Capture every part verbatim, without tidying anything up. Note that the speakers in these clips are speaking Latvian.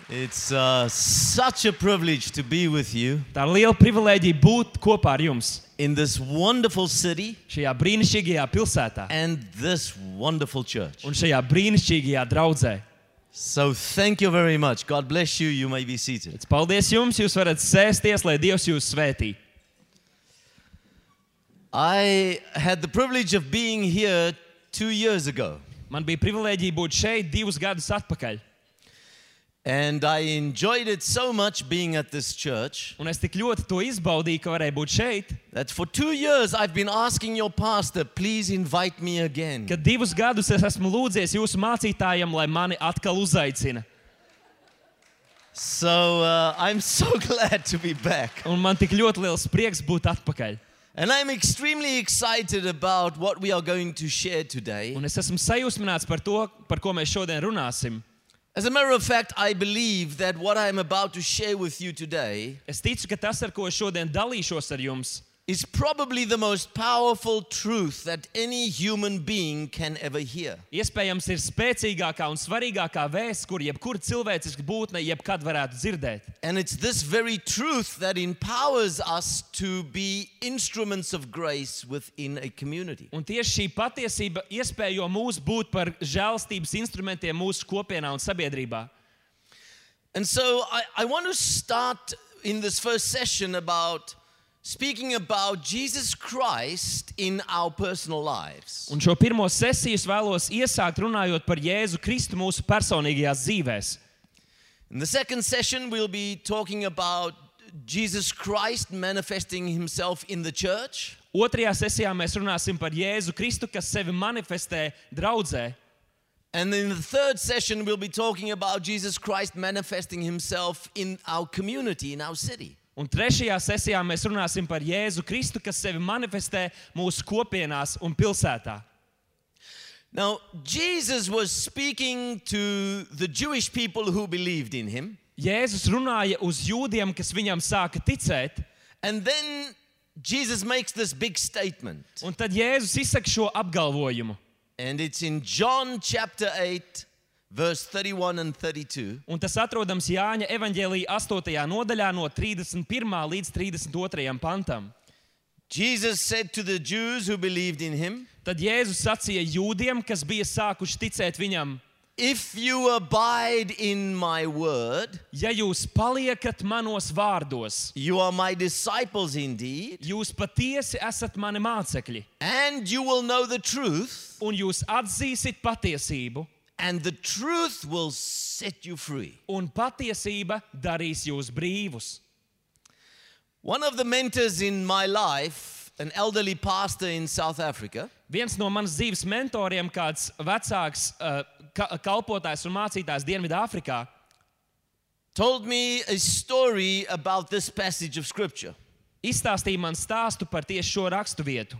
It's uh, such a privilege to be with you Tā ir liela privilēģija būt kopā ar jums in this wonderful city šajā brīnišķīgajā pilsētā and this wonderful church. un šajā brīnišķīgajā draudzē. So thank you very much. God bless you. You may be seated. Paldies jums, jūs varat sēsties, lai Dievs jūs svētī. I had the privilege of being here two years ago. Man bija privilēģija būt šeit divus gadus atpakaļ. And I enjoyed it so much being at this church Un es tik ļoti to izbaudīju, ka varēju būt šeit, that for two years I've been asking your pastor, please invite me again. ka divus gadus es esmu lūdzies jūsu mācītājam, lai mani atkal uzaicina. So uh, I'm so glad to be back. Un man tik ļoti liels prieks būt atpakaļ. And I'm extremely excited about what we are going to share today. Un es esmu sajūsmināts par to, par ko mēs šodien runāsim. As a matter of fact, I believe that what I'm about to share with you today Es ticu, ka tas, ar ko es šodien dalīšos ar jums, is probably the most powerful truth that any human being can ever hear. iespējams ir spēcīgākā un svarīgākā vēsts, kur jebkura cilvēciska būtne jebkad varētu dzirdēt. And it's this very truth that empowers us to be instruments of grace within a community. Un tieši šī patiesība iespējo mūs būt par žēlstības instrumentiem mūsu kopienā un sabiedrībā. And so I, I want to start in this first session about speaking about Jesus Christ in our personal lives. Un šo pirmo sesiju es vēlos iesākt runājot par Jēzu Kristu mūsu personīgajās dzīvēs. In the second session, we'll be talking about Jesus Christ manifesting himself in the church. Otrajā sesijā mēs runāsim par Jēzu Kristu, kas sevi manifestē draudzē. And in the third session, we'll be talking about Jesus Christ manifesting himself in our community, in our city. Un trešajā sesijā mēs runāsim par Jēzu Kristu, kas sevi manifestē mūsu kopienās un pilsētā. Now, Jesus was speaking to the Jewish people who believed in him. Jēzus runāja uz jūdiem, kas viņam sāka ticēt, And then Jesus makes this big statement. un tad Jēzus izsaka šo apgalvojumu. And it's in John chapter eight, verse thirty-one and thirty-two. Un tas atrodams Jāņa evaņģēlija astotajā nodaļā no trīsdesmit pirmā līdz trīsdesmit otrajam pantam. Jesus said to the Jews who believed in him, Tad Jēzus sacīja jūdiem, kas bija sākuši ticēt viņam: if you abide in my word, Ja jūs paliekat manos vārdos, you are my disciples indeed, jūs patiesi esat mani mācekļi, and you will know the truth, un jūs atzīsit patiesību, and the truth will set you free. un patiesība darīs jūs brīvus. One of the mentors in my life, an elderly pastor in South Africa, Viens no manas dzīves mentoriem, kāds vecāks uh, ka kalpotājs un mācītājs Dienvidāfrikā, told me a story about this passage of scripture. izstāstīja man stāstu par tieši šo rakstu vietu.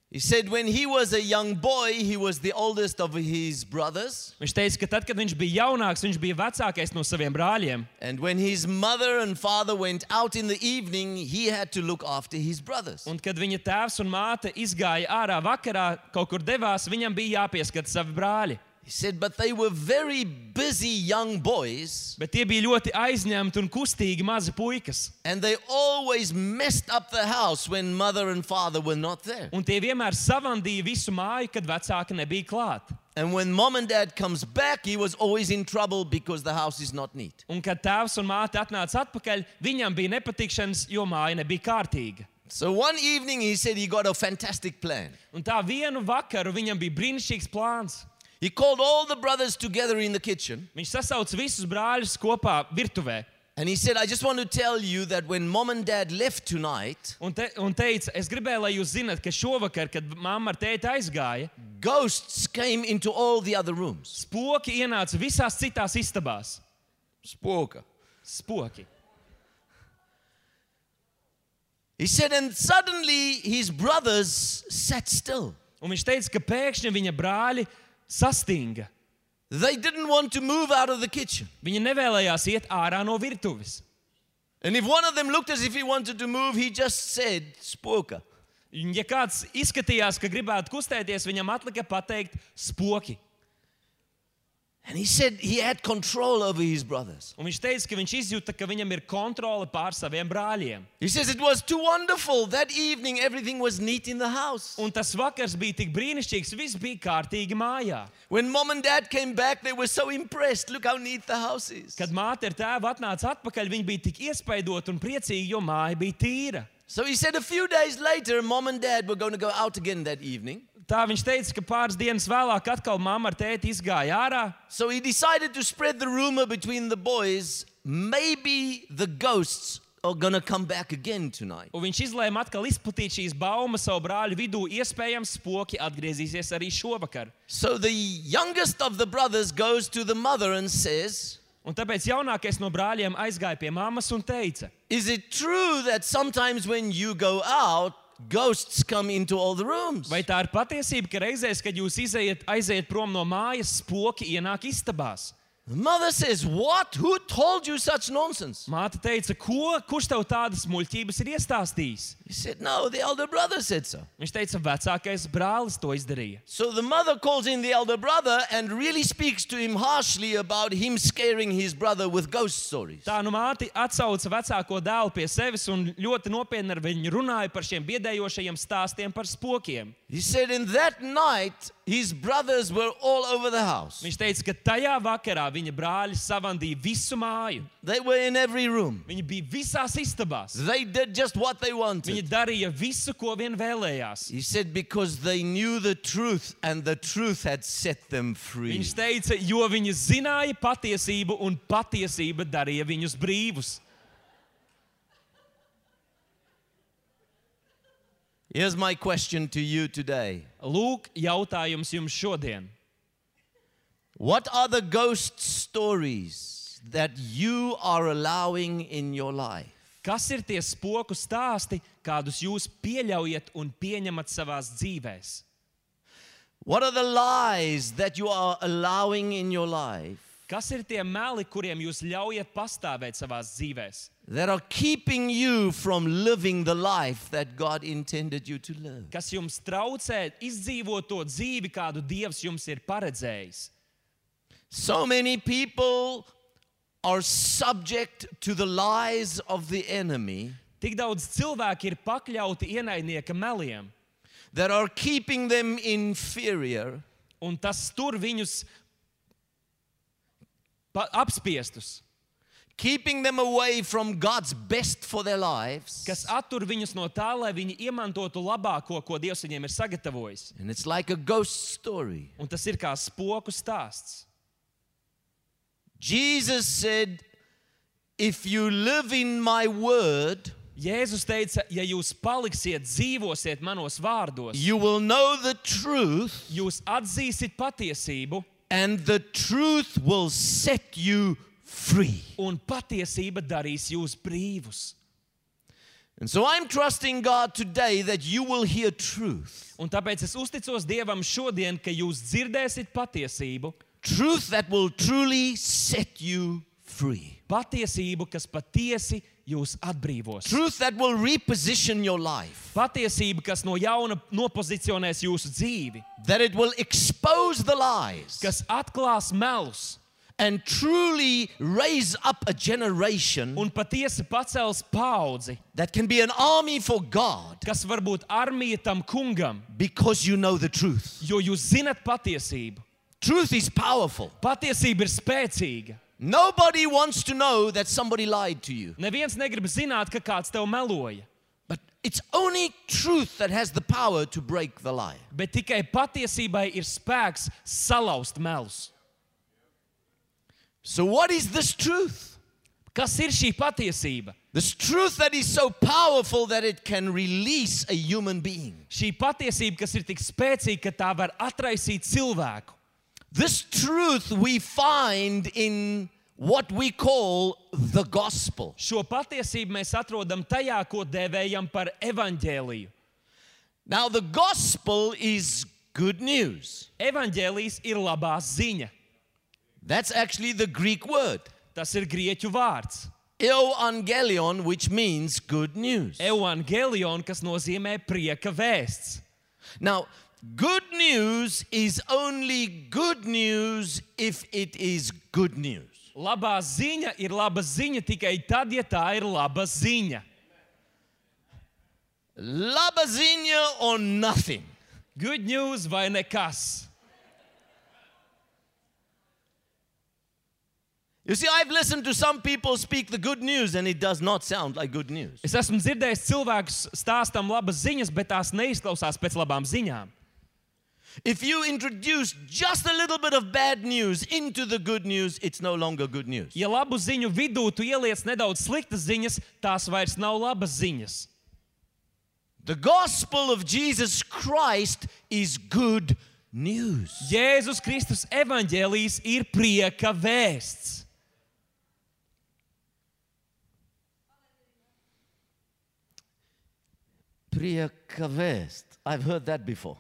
He said when he was a young boy, he was the oldest of his brothers. Viņš teica, ka tad, kad viņš bija jaunāks, viņš bija vecākais no saviem brāļiem. And when his mother and father went out in the evening, he had to look after his brothers. Un kad viņa tēvs un māte izgāja ārā vakarā, kaut kur devās, viņam bija jāpieskata savi brāļi. He said, but they were very busy young boys, Bet tie bija ļoti aizņemti un kustīgi mazi puikas. and they always messed up the house when mother and father were not there. Un tie vienmēr savandīja visu māju, kad vecāki nebija klāt. And when mom and dad comes back, he was always in trouble because the house is not neat. Un kad tēvs un māte atnāca atpakaļ, viņam bija nepatikšanas, jo māja nebija kārtīga. So one evening he said he got a fantastic plan. Un tā vienu vakaru viņam bija brīnišķīgs plāns. He called all the brothers together in the kitchen, Viņš sasauca visus brāļus kopā virtuvē and he said, I just want to tell you that when mom and dad left tonight, un, te, un teica, es gribēju, lai jūs zinat, ka šovakar, kad mamma ar tēti aizgāja, ghosts came into all the other rooms. spoki ienāca visās citās istabās. Spoke. Spoki. He said, and suddenly his brothers sat still. Un viņš teica, ka pēkšņi viņa brāļi sastinga. They didn't want to move out of the kitchen. Viņi nevēlējās iet ārā no virtuves. And if one of them looked as if he wanted to move, he just said, spoke. Un ja kāds izskatījās, ka gribētu kustēties, viņam atlika pateikt spoki. And he said he had control over his brothers. Un viņš teica, ka viņš izjūta, ka viņam ir kontrole pār saviem brāļiem. He says it was too wonderful. That evening everything was neat in the house. Un tas vakars bija tik brīnišķīgs, viss bija kārtīgi mājā. When mom and dad came back, they were so impressed. Look how neat the house is. Kad māte ar tēvu atnāca atpakaļ, viņi bija tik iespaidoti un priecīgi, jo māja bija tīra. So he said a few days later, mom and dad were going to go out again that evening. Tā viņš teica, ka pāris dienas vēlāk atkal mamma ar tēti izgāja ārā. So he decided to spread the rumor between the boys, maybe the ghosts are going to come back again tonight. Un viņš izlēma atkal izplatīt šīs baumas savu brāļu vidū, iespējams spoki atgriezīsies arī šovakar. So the youngest of the brothers goes to the mother and says, Un tāpēc jaunākais no brāļiem aizgāja pie mammas un teica, is it true that sometimes when you go out, ghosts come into all the rooms? vai tā ir patiesība, ka reizēs, kad jūs izejat, aiziet prom no mājas, spoki ienāk istabās? The mother says, what? Who told you such nonsense? Māte teica, ko? Kurš tev tādas muļķības ir iestāstījis? He said, no, the elder brother said so. Viņš teica, vecākais brālis to izdarīja. So the mother calls in the elder brother and really speaks to him harshly about him scaring his brother with ghost stories. Tā nu māte atsauca vecāko dēlu pie sevis un ļoti nopietni ar viņu runāja par šiem biedējošajiem stāstiem par spokiem. He said in that night, his brothers were all over the house. Viņš teica, ka tajā vakarā viņa brāļi savandīja visu māju. They were in every room. Viņi bija visās istabās. They did just what they wanted. Viņi darīja visu, ko vien vēlējās. He said because they knew the truth and the truth had set them free. Viņš teica, jo viņi zināja patiesību un patiesība darīja viņus brīvus. Here's my question to you today. Lūk, jautājums jums šodien. What are the ghost stories that you are allowing in your life? Kas ir tie spoku stāsti, kādus jūs pieļaujat un pieņemat savās dzīvēs? What are the lies that you are allowing in your life Kas ir tie meli, kuriem jūs ļaujat pastāvēt savās dzīvēs? that are keeping you from living the life that God intended you to live? Kas jums traucē izdzīvot to dzīvi, kādu Dievs jums ir paredzējis? So many people are subject to the lies of the enemy Tik daudz cilvēki ir pakļauti ienaidnieka meliem, that are keeping them inferior, un tas tur viņus pa- apspiestus, keeping them away from God's best for their lives. kas attur viņus no tā, lai viņi iemantotu labāko, ko Dievs viņiem ir sagatavojis. And it's like a ghost story. Un tas ir kā spoku stāsts. Jesus said, if you live in my word, Jēzus teica, ja jūs paliksiet, dzīvosiet manos vārdos, you will know the truth, jūs atzīsiet patiesību, and the truth will set you free. un patiesība darīs jūs brīvus. And so I'm trusting God today that you will hear truth. Un tāpēc es uzticos Dievam šodien, ka jūs dzirdēsiet patiesību, Truth that will truly set you free. patiesību, kas patiesi jūs atbrīvos. Truth that will reposition your life. Patiesība, kas no jauna nopozicionēs jūsu dzīvi, That it will expose the lies kas atklās melus and truly raise up a generation un patiesi pacels paudzi, that can be an army for God kas var būt armija tam kungam, because you know the truth. jo jūs zinat patiesību. Truth is powerful. Patiesība ir spēcīga. Nobody wants to know that somebody lied to you. Neviens negrib zināt, ka kāds tev meloja, But it's only truth that has the power to break the lie. bet tikai patiesībai ir spēks salauzt melus. So what is this truth? Kas ir šī patiesība? This truth that is so powerful that it can release a human being. Šī patiesība, kas ir tik spēcīga, ka tā var atraisīt cilvēku. This truth we find in what we call the gospel. Šo patiesību mēs atrodam tajā, ko dēvējam par evaņģēliju. Now the gospel is good news. Evaņģēlijs ir labā ziņa. That's actually the Greek word. Tas ir grieķu vārds. Euangelion, which means good news. Evangelion, kas nozīmē prieka vēsts. Now, good news is only good news if it is good news. Labā ziņa ir laba ziņa tikai tad, ja tā ir laba ziņa. Laba ziņa or nothing. Good news vai nekas. You see, I've listened to some people speak the good news and it does not sound like good news. Es esmu dzirdējis cilvēkus stāstam labas ziņas, bet tās neizklausās pēc labām ziņām. If you introduce just a little bit of bad news into the good news, it's no longer good news. Ja labu ziņu vidū tu ieliec nedaudz sliktas ziņas, tās vairs nav labas ziņas. The gospel of Jesus Christ is good news. Jēzus Kristus evaņģēlijs ir prieka vēsts. Prieka vēst. I've heard that before.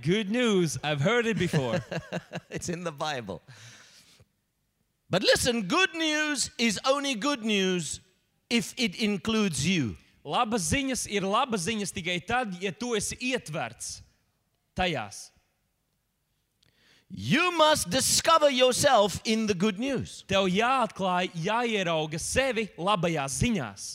Good news, I've heard it before. It's in the Bible. But listen, good news is only good news if it includes you. Labas ziņas ir labas ziņas tikai tad, ja tu esi ietverts tajās. You must discover yourself in the good news. Tev jāatklāj, jāierauga sevi labajās ziņās.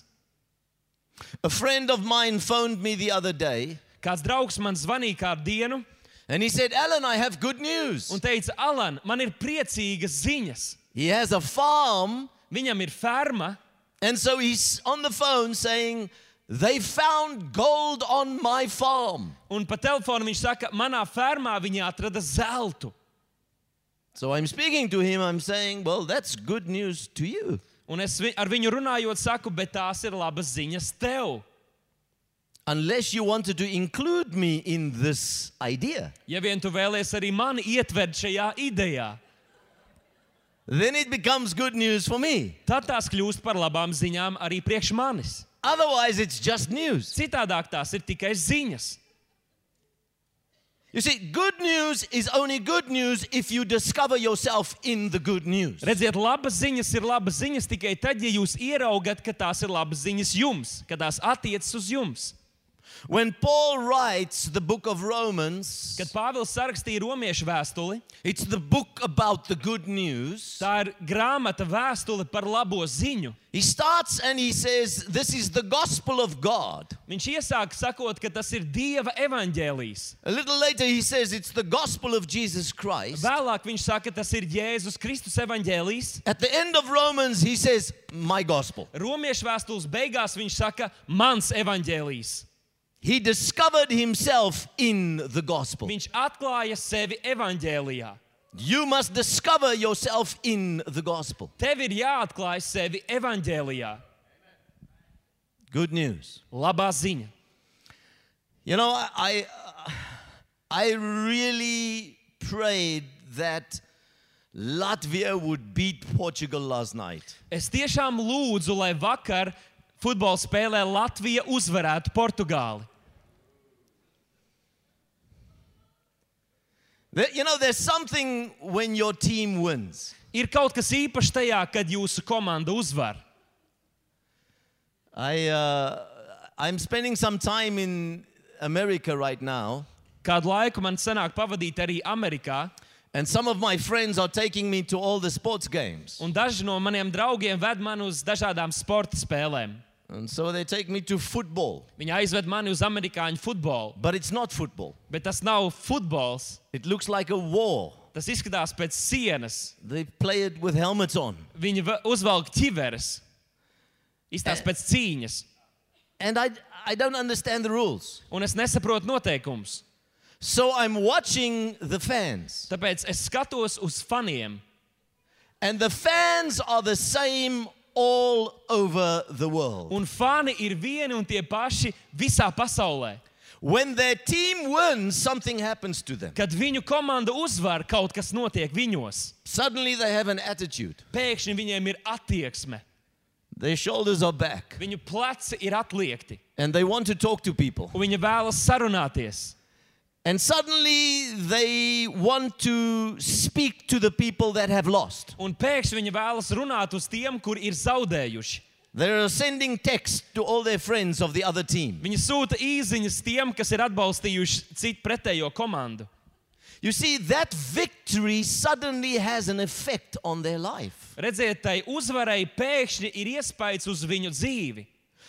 A friend of mine phoned me the other day. Kāds draugs man zvanīja kādu dienu And he said, Alan, I have good news. un teica, Alan, man ir priecīgas ziņas. He has a farm, Viņam ir ferma, and so he's on the phone saying, they found gold on my farm. un pa telefonu viņš saka, manā fermā viņi atrada zeltu. So I'm speaking to him, I'm saying, well, that's good news to you. Un es vi- ar viņu runājot saku, bet tās ir labas ziņas tev. Unless you wanted to include me in this idea. Ja vien tu vēlies arī mani ietvert šajā idejā, Then it becomes good news for me. tad tās kļūst par labām ziņām arī priekš manis. Otherwise, it's just news. Citādāk tās ir tikai ziņas. You see, good news is only good news if you discover yourself in the good news. Redziet, labas ziņas ir labas ziņas tikai tad, ja jūs ieraugat, ka tās ir labas ziņas jums, ka tās attiecas uz jums. When Paul writes the book of Romans, Kad Pāvils sarakstīja romiešu vēstuli, it's the book about the good news. tā ir grāmata vēstule par labo ziņu. He starts and he says, this is the gospel of God. Viņš iesāk sakot, ka tas ir Dieva evaņģēlijs. A little later he says, it's the gospel of Jesus Christ. Vēlāk viņš saka, tas ir Jēzus Kristus evaņģēlijs. At the end of Romans, he says, my gospel. Romiešu vēstules beigās viņš saka, mans evaņģēlijs. He discovered himself in the gospel. Viņš atklāja sevi evaņģēlijā. You must discover yourself in the gospel. Tev ir jāatklāj sevi evaņģēlijā. Good news. Labā ziņa. You know, I, I really prayed that Latvia would beat Portugal last night. Es tiešām lūdzu, lai vakar futbola spēlē Latvija uzvarētu Portugāli. There, you know, there's something when your team wins. Ir kaut kas īpašs tajā, kad jūsu komanda uzvar. I, uh, I'm spending some time in America right now, Kādu laiku man sanāk pavadīt arī Amerikā, and some of my friends are taking me to all the sports games. un daži no maniem draugiem ved mani uz dažādām sporta spēlēm. And so they take me to football. Viņi aizved mani uz amerikāņu futbolu, But it's not football. bet tas nav futbols. It looks like a war. Tas izskatās pēc sienas. They play it with helmets on. Viņi va- uzvelk ķiveres. Izstāsta pēc cīņas. And I, I don't understand the rules. Un es nesaprotu noteikumus. So I'm watching the fans. Tāpēc es skatos uz faniem. And the fans are the same all over the world. Un fani ir vieni un tie paši visā pasaulē. When their team wins, something happens to them. Kad viņu komanda uzvar, kaut kas notiek viņos. Suddenly they have an attitude. Pēkšņi viņiem ir attieksme. Their shoulders are back. Viņu pleci ir atliekti. And they want to talk to people. Un viņi vēlas sarunāties. And suddenly they want to speak to the people that have lost. Un pēkšņi viņi vēlas runāt uz tiem, kur ir zaudējuši. They're sending text to all their friends of the other team. Viņi sūta īziņas tiem, kas ir atbalstījuši citu pretējo komandu. You see, that victory suddenly has an effect on their life. Redziet, tai uzvarai pēkšņi ir iespējas uz viņu dzīvi.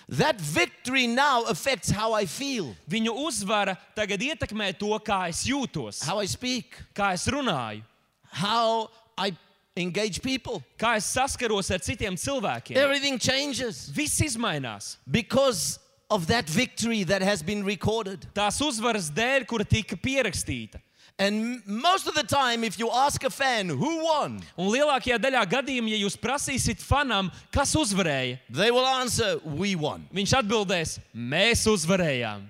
That victory now affects how I feel, Viņu uzvara tagad ietekmē to, kā es jūtos, how I speak, kā es runāju, how I engage people. kā es saskaros ar citiem cilvēkiem. Everything changes Viss izmainās. because of that victory that has been recorded. Tās uzvaras dēļ, kura tika pierakstīta. And most of the time, if you ask a fan who won, Un lielākajā daļā gadījumā, ja jūs prasīsiet fanam, kas uzvarēja, they will answer, we won. viņš atbildēs, mēs uzvarējām.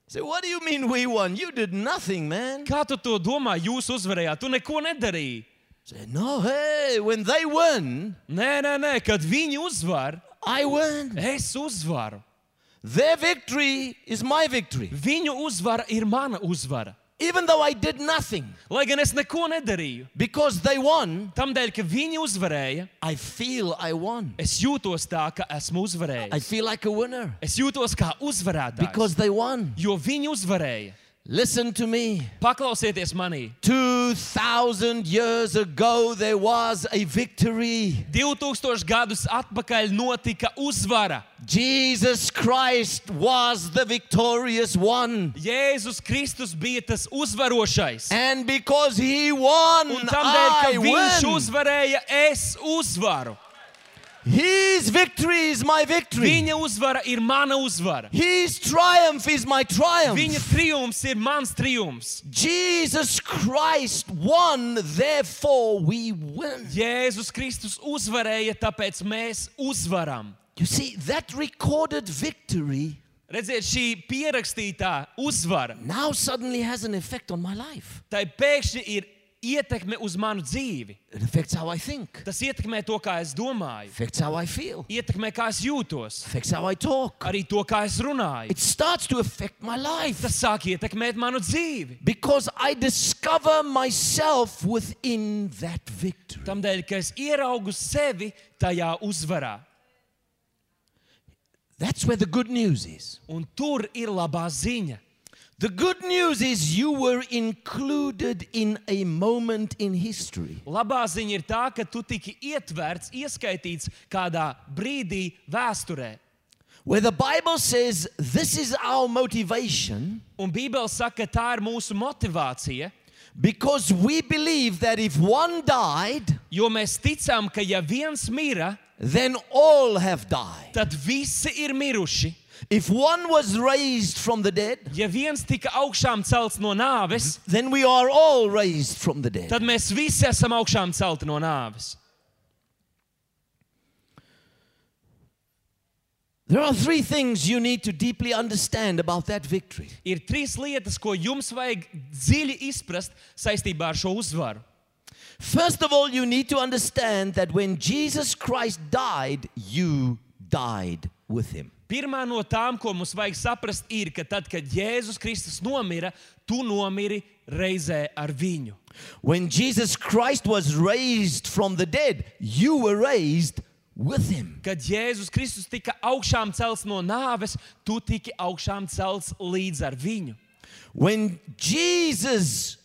So what do you mean we won? You did nothing, man. Kā tu to domā, jūs uzvarējāt? Tu neko nedarīji. Say, no, hey, when they win, Nē, nē, nē, kad viņi uzvar, I win. es uzvaru. Their victory is my victory. Viņu uzvara ir mana uzvara. Even though I did nothing, Lai gan es neko nedarīju, because they won, tamdēļ, ka viņi uzvarēja, I feel I won. es jūtos tā, ka esmu I uzvarējis. feel like a winner Es jūtos kā uzvarētājs, because they won. jo viņi uzvarēja. Listen to me. Paklausieties manī. Two thousand years ago, there was a victory. divtūkstoši gadus atpakaļ notika uzvara. Jesus Christ was the victorious one. Jēzus Kristus bija tas uzvarošais. And because he won, Un tamdēļ, ka I viņš win. uzvarēja, es uzvaru. His victory is my victory. Viņa uzvara ir mana uzvara. His triumph is my triumph. Viņa triumfs ir mans triumfs. Jesus Christ won, therefore we win. Jēzus Kristus uzvarēja, tāpēc mēs uzvaram. You see, that recorded victory Redziet, šī pierakstītā uzvara, now suddenly has an effect on my life. tai pēkšņi ir ietekme uz manu dzīvi. It affects how I think, Tas ietekmē to, kā es domāju, affects how I feel, ietekmē, kā es jūtos, affects how I talk. arī to, kā es runāju. It starts to affect my life Tas sāk ietekmēt manu dzīvi. because I discover myself within that victory. Tamdēļ, ka es ieraugu sevi tajā uzvarā. That's where the good news is. Un tur ir labā ziņa. The good news is you were included in a moment in history. Labā ziņa ir tā, ka tu tiki ietverts, ieskaitīts kādā brīdī vēsturē. Where the Bible says this is our motivation Un Bībele saka, ka tā ir mūsu motivācija, because we believe that if one died, jo mēs ticam, ka ja viens mira, then all have died. tad visi ir miruši. If one was raised from the dead, Ja viens tika augšām celts no nāves, then we are all raised from the dead. tad mēs visi esam augšām celti no nāves. There are three things you need to deeply understand about that victory. Ir trīs lietas, ko jums vajag dziļi izprast saistībā ar šo uzvaru. First of all, you need to understand that when Jesus Christ died, you died with him. Pirmā no tām, ko mums vajag saprast, ir, ka tad, kad Jēzus Kristus nomira, tu nomiri reizē ar viņu. When Jesus Christ was raised from the dead, you were raised with him. Kad Jēzus Kristus tika augšām celts no nāves, tu tiki augšām celts līdz ar viņu. When Jesus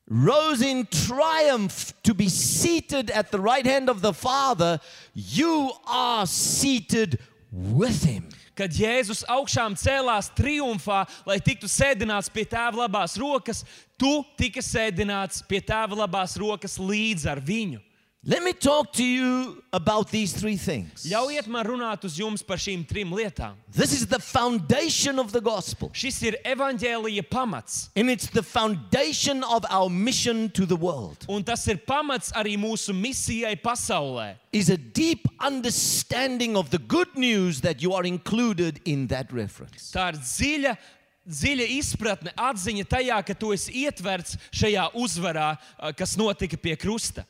rose in triumph to be seated at the right hand of the Father, you are seated with him. Kad Jēzus augšām cēlās triumfā, lai tiktu sēdināts pie tēva labās rokas, tu tika sēdināts pie tēva labās rokas līdz ar viņu. Let me talk to you about these three things. Ļaujiet man runāt uz jums par šīm trim lietām. This is the foundation of the gospel, Šis ir evaņģēlija pamats, and it's the foundation of our mission to the world. un tas ir pamats arī mūsu misijai pasaulē. Is a deep understanding of the good news that you are included in that reference. Tā ir dziļa, dziļa izpratne, atziņa tajā, ka tu esi ietverts šajā uzvarā, kas notika pie krusta.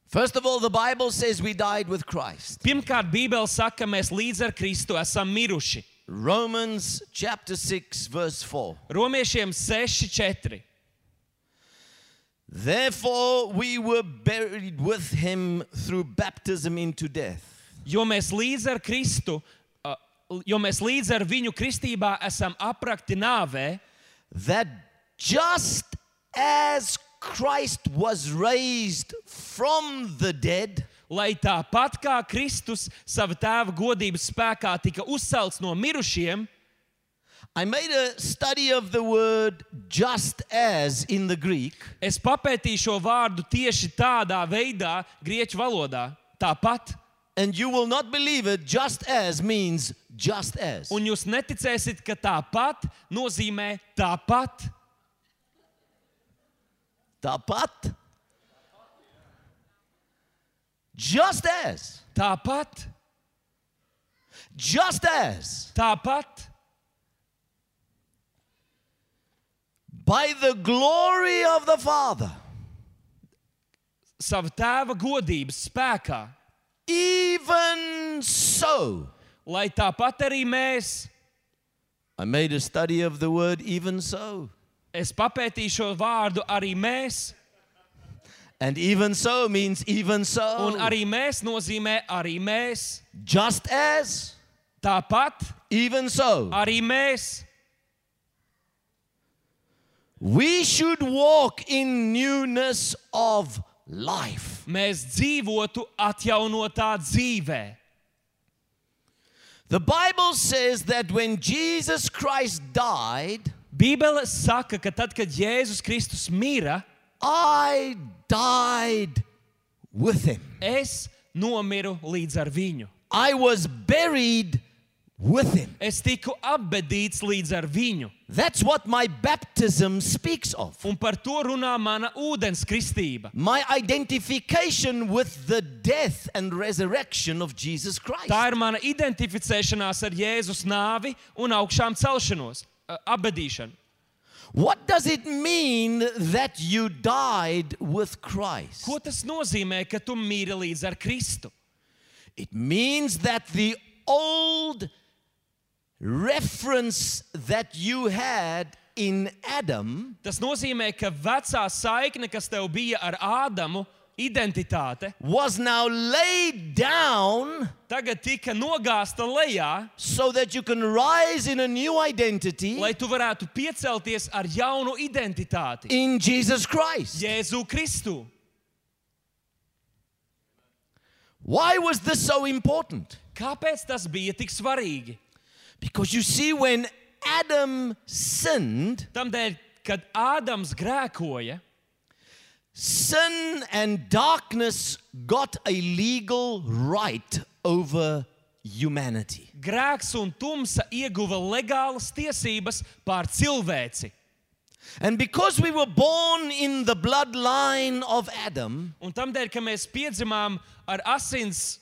First of all, the Bible says we died with Christ. Pirmkārt, Bībele saka, ka mēs līdz ar Kristu esam miruši. Romans chapter six, verse four. Romiešiem seši četri. Therefore we were buried with him through baptism into death, Jo mēs līdz ar Kristu, uh, jo mēs līdz ar viņu kristībā esam aprakti nāvē, that just as Christ was raised from the dead, lai tāpat kā Kristus sava tēva godības spēkā tika uzcelts no mirušiem, I made a study of the word just as in the Greek. es papētīju šo vārdu tieši tādā veidā, grieķu valodā, tāpat. And you will not believe it, just as means just as. Un jūs neticēsiet, ka tāpat nozīmē tāpat. Tāpat. Just as. Tāpat, Just as. tāpat, By the glory of the Father. sava tēva godības spēkā, Even so. lai tāpat arī mēs, I made a study of the word even so. es papētīju šo vārdu arī mēs, And even so means even so. un arī mēs nozīmē arī mēs, Just as. tāpat, Even so. arī mēs. We should walk in newness of life. Mēs dzīvotu atjaunotā dzīvē. The Bible says that when Jesus Christ died, Bībele saka, ka tad, kad Jēzus Kristus mira, I died with him. es nomiru līdz ar viņu. I was buried with him. Es tiku apbedīts līdz ar viņu. That's what my baptism speaks of. Un par to runā mana ūdens kristība. My identification with the death and resurrection of Jesus Christ. Tā ir mana identificēšanās ar Jēzus nāvi un augšām celšanos, uh, apbedīšanu. What does it mean that you died with Christ? Ko tas nozīmē, ka tu mīri līdz ar Kristu? It means that the old reference that you had in Adam Tas nozīmē, ka vecā saikne, kas tev bija ar Ādamu, identitāte, was now laid down tagad tika nogāzta lejā, so that you can rise in a new identity lai tu varētu piecelties ar jaunu identitāti. in Jesus Christ. Jēzu Kristu. Why was this so important? Kāpēc tas bija tik svarīgi? Because you see, when Adam sinned, Tamdēļ, kad Ādams grēkoja, sin and darkness got a legal right over humanity. grēks un tumsa ieguva legālas tiesības pār cilvēci. And because we were born in the bloodline of Adam, Un tamdēļ, ka mēs piedzimām ar asins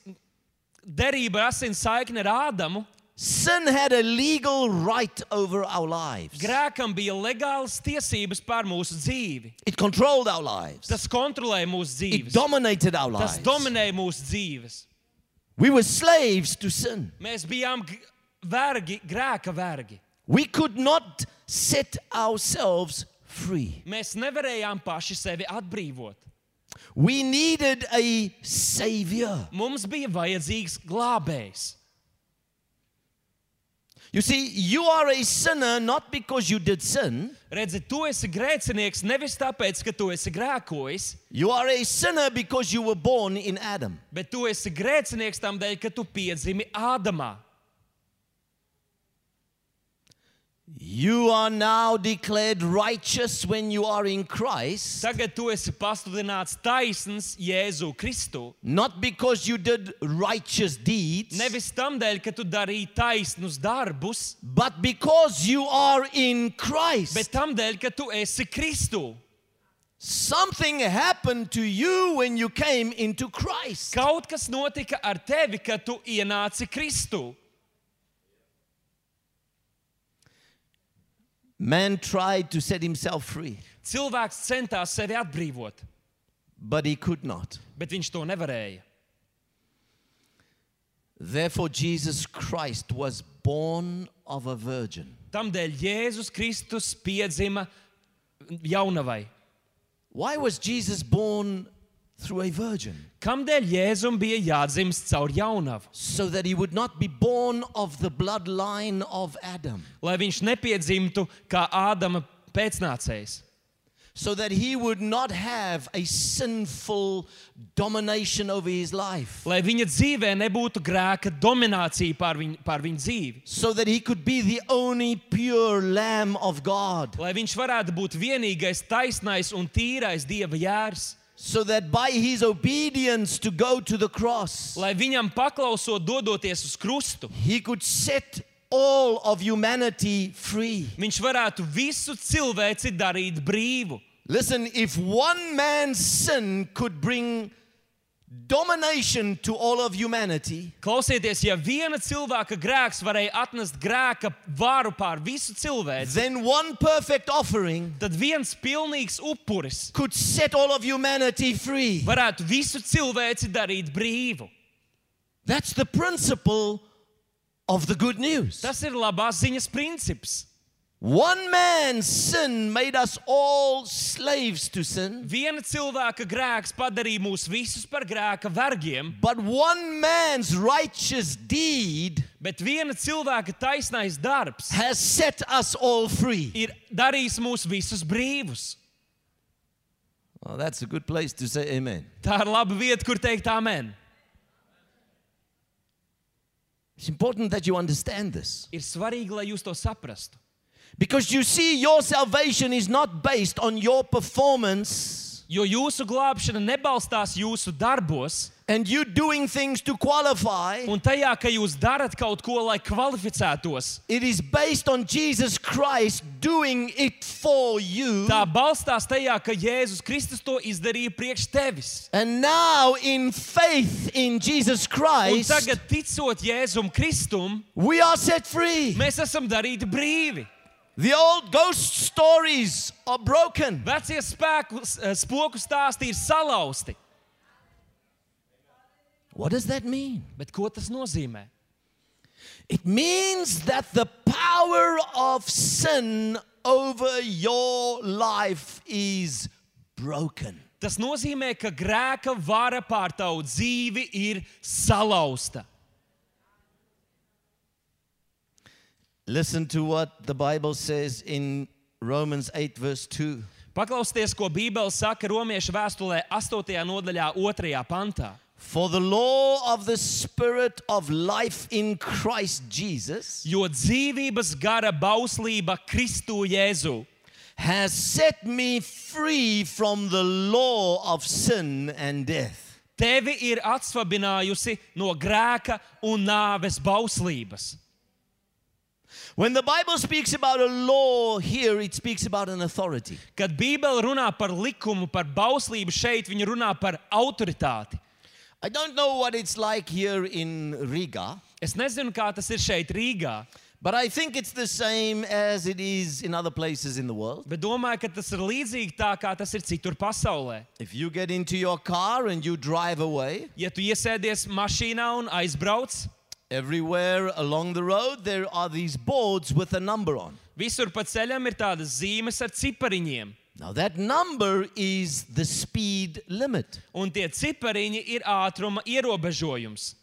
derību, ar asins saikni ar Ādamu, sin had a legal right over our lives. grēkam bija legālas tiesības pār mūsu dzīvi. It controlled our lives. Tas kontrolēja mūsu It dzīves. dominated our Tas lives. dominēja mūsu dzīves. We were slaves to sin. Mēs bijām g- vergi, grēka vergi. We could not set ourselves free. Mēs nevarējām paši sevi atbrīvot. We needed a savior. Mums bija vajadzīgs glābējs. You see, you are a sinner not because you did sin. Redzi, tu esi grēcinieks nevis tāpēc, ka tu esi grēkojis, You are a sinner because you were born in Adam. bet tu esi grēcinieks tam dēļ, ka tu piedzimi Ādamā. You are now declared righteous when you are in Christ, Tagad tu esi pasludināts taisns Jēzu Kristu. not because you did righteous deeds, Nevis tam dēļ, ka tu darīji taisnus darbus, but because you are in Christ. bet tam dēļ, ka tu esi Kristu. Something happened to you when you came into Christ. Kaut kas notika ar tevi, kad tu ienāci Kristu. Man tried to set himself free, Cilvēks centās sevi atbrīvot, but he could not. bet viņš to nevarēja. Therefore, Jesus Christ was born of a virgin. Tamdēļ Jēzus Kristus piedzima jaunavai. Why was Jesus born through a virgin, Kamdēļ Jēzum bija jādzimst caur jaunavu? so that he would not be born of the bloodline of Adam, Lai viņš nepiedzimtu kā Ādama pēcnācējs. so that he would not have a sinful domination over his life, Lai viņa dzīvē nebūtu grēka dominācija pār viņu, pār viņu dzīvi. so that he could be the only pure Lamb of God, Lai viņš varētu būt vienīgais taisnais un tīrais Dieva jērs. so that by his obedience to go to the cross, Lai viņam paklausot dodoties uz krustu, he could set all of humanity free. viņš varētu visu cilvēci darīt brīvu. Listen, if one man's sin could bring domination to all of humanity, Klausieties, ja viena cilvēka grēks varēja atnest grēka varu pār visu cilvēci, then one perfect offering tad viens pilnīgs upuris could set all of humanity free. varētu visu cilvēci darīt brīvu. That's the principle of the good news. Tas ir labās ziņas princips. One man's sin made us all slaves to sin, Viena cilvēka grēks padarīja mūs visus par grēka vergiem, but one man's righteous deed bet viena cilvēka taisnais darbs has set us all free. ir darījis mūs visus brīvus. Well, that's a good place to say amen. Tā ir laba vieta, kur teikt amen. It's important that you understand this. Ir svarīgi, lai jūs to saprastu. Because you see, your salvation is not based on your performance Jo jūsu glābšana nebalstās jūsu darbos and you doing things to qualify. un tajā, ka jūs darat kaut ko, lai kvalificētos. It is based on Jesus Christ doing it for you. Tā balstās tajā, ka Jēzus Kristus to izdarīja priekš tevis. And now, in faith in Jesus Un Christ, tagad, ticot Jēzum Kristum, we are set free. mēs esam darīti brīvi. The old ghost stories are broken. Vecie spēku, spoku stāsti ir salauzti. What does that mean? Bet ko tas nozīmē? It means that the power of sin over your life is broken. Tas nozīmē, ka grēka vara pār tavu dzīvi ir salauzta. Listen to what the Bible says in Romans eight verse two. Paklausieties, ko Bībele saka Romiešu vēstulē astotajā nodaļā otrajā pantā. For the law of the Spirit of life in Christ Jesus Jo dzīvības gara bauslība Kristu Jēzu has set me free from the law of sin and death. tevi ir atsvabinājusi no grēka un nāves bauslības. When the Bible speaks about a law here, it speaks about an authority. Kad Bībele runā par likumu, par bauslību šeit, viņa runā par autoritāti. I don't know what it's like here in Riga, Es nezinu, kā tas ir šeit Rīgā, but I think it's the same as it is in other places in the world. bet domāju, ka tas ir līdzīgi tā, kā tas ir citur pasaulē. If you get into your car and you drive away, Ja tu iesēdies mašīnā un aizbrauc, everywhere along the road there are these boards with a number on. visur pa ceļam ir tādas zīmes ar cipariņiem. Now that number is the speed limit. Un tie cipariņi ir ātruma ierobežojums.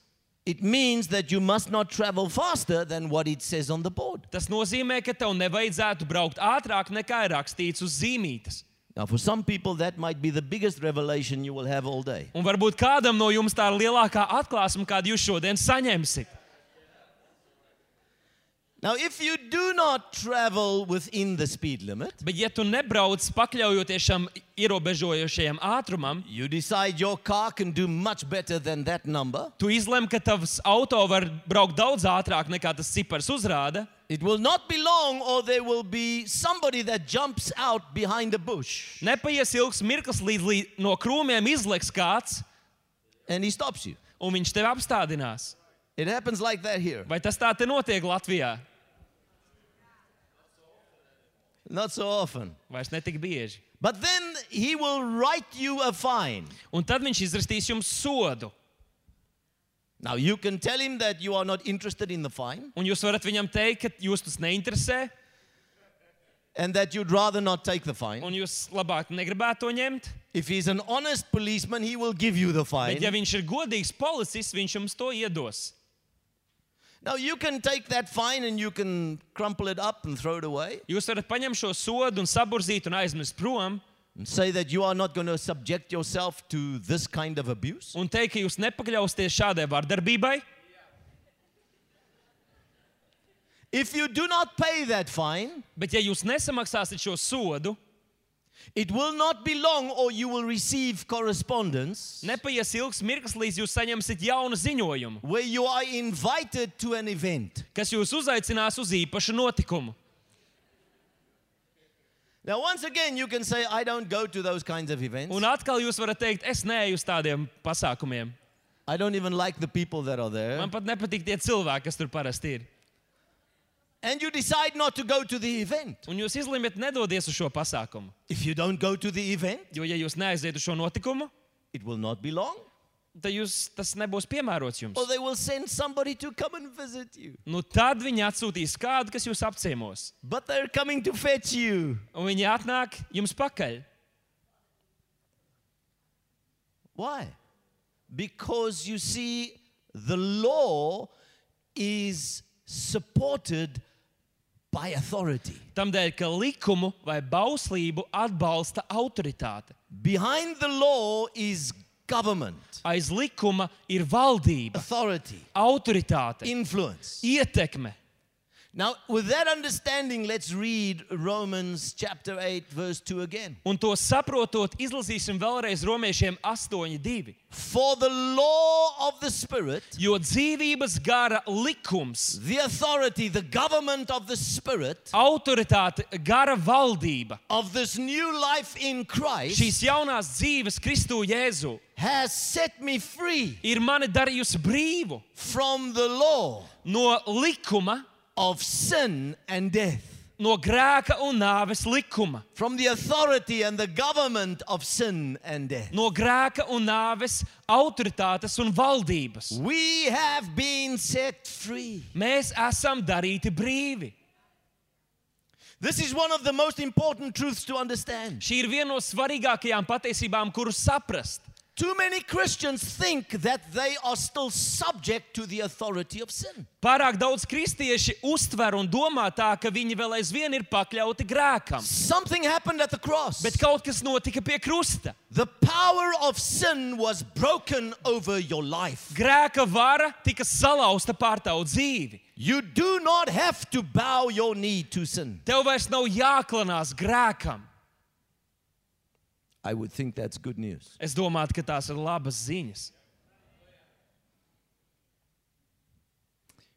It means that you must not travel faster than what it says on the board. Tas nozīmē, ka tev nevajadzētu braukt ātrāk nekā ir rakstīts uz zīmītes. Now for some people that might be the biggest revelation you will have all day. Un varbūt kādam no jums tā ir lielākā atklāsme, kādu jūs šodien saņemsiet. Now if you do not travel within the speed limit, Bet ja tu nebrauc pakļaujoties šam ierobežojošajam ātrumam, you decide your car can do much better than that number, tu izlem, ka tavs auto var braukt daudz ātrāk nekā tas cipars uzrāda, it will not be long or there will be somebody that jumps out behind a bush nepaies ilgs mirklis, līdz līdz no krūmiem izleks kāds, and he stops you. un viņš tevi apstādinās. It happens like that here. Vai tas tā te notiek Latvijā? Not so often. Vairs netik bieži. But then he will write you a fine. Un tad viņš izrastīs jums sodu. Now you can tell him that you are not interested in the fine Un jūs varat viņam teikt, ka jūs tas neinteresē, and that you'd rather not take the fine. un jūs labāk negribētu to ņemt. If he's an honest policeman, he will give you the fine. Bet ja viņš ir godīgs policists, viņš jums to iedos. Now you can take that fine and you can crumple it up and throw it away. Jūs varat paņemt šo sodu un saburzīt un aizmest prom. And say that you are not going to subject yourself to this kind of abuse. Un teikt, ka jūs nepakļausieties šādai vardarbībai. If you do not pay that fine, Bet ja jūs nesamaksāsiet šo sodu, it will not be long or you will receive correspondence nepaies ilgs mirklis, līdz jūs saņemsiet jaunu ziņojumu, where you are invited to an event. kas jūs uzaicinās uz īpašu notikumu. Now once again you can say, I don't go to those kinds of events. Un atkal jūs varat teikt, es neeju uz tādiem pasākumiem. I don't even like the people that are there. Man pat nepatīk tie cilvēki, kas tur parasti ir. And you decide not to go to the event. Un jūs izlemat nedodies uz šo pasākumu. If you don't go to the event, Jo, ja jūs neaiziet uz šo notikumu, it will not be long. tad jūs, tas nebūs piemērots jums. Or they will send somebody to come and visit you. Nu, tad viņi atsūtīs kādu, kas jūs apciemos. But they're coming to fetch you. Un viņi atnāk jums pakaļ. Why? Because you see, the law is supported by authority. Tamdēļ, ka likumu vai bauslību atbalsta autoritāte. Behind the law is government, Aiz likuma ir valdība, authority, autoritāte, influence. ietekme. Now, with that understanding, let's read Romans chapter eight, verse two again. Un to saprotot, izlasīsim vēlreiz Romiešiem astoņi divi. For the law of the Spirit, Jo dzīvības gara likums, the authority, the government of the Spirit, autoritāte, gara valdība, of this new life in Christ, šīs jaunās dzīves Kristū Jēzu, has set me free ir mani darījusi brīvu from the law no likuma, of sin and death, no grēka un nāves likuma, from the authority and the government of sin and death. no grēka un nāves autoritātes un valdības. We have been set free. Mēs esam darīti brīvi. This is one of the most important truths to understand. Šī ir viena no svarīgākajām patiesībām, kuru saprast. Too many Christians think that they are still subject to the authority of sin. Pārāk daudz kristieši uztver un domā tā, ka viņi vēl aizvien ir pakļauti grēkam. Something happened at the cross. Bet kaut kas notika pie krusta. The power of sin was broken over your life. Grēka vara tika salauzta pār tavu dzīvi. You do not have to bow your knee to sin. Tev vairs nav jāklanās grēkam. I would think that's good news. Es domātu, ka tās ir labas ziņas.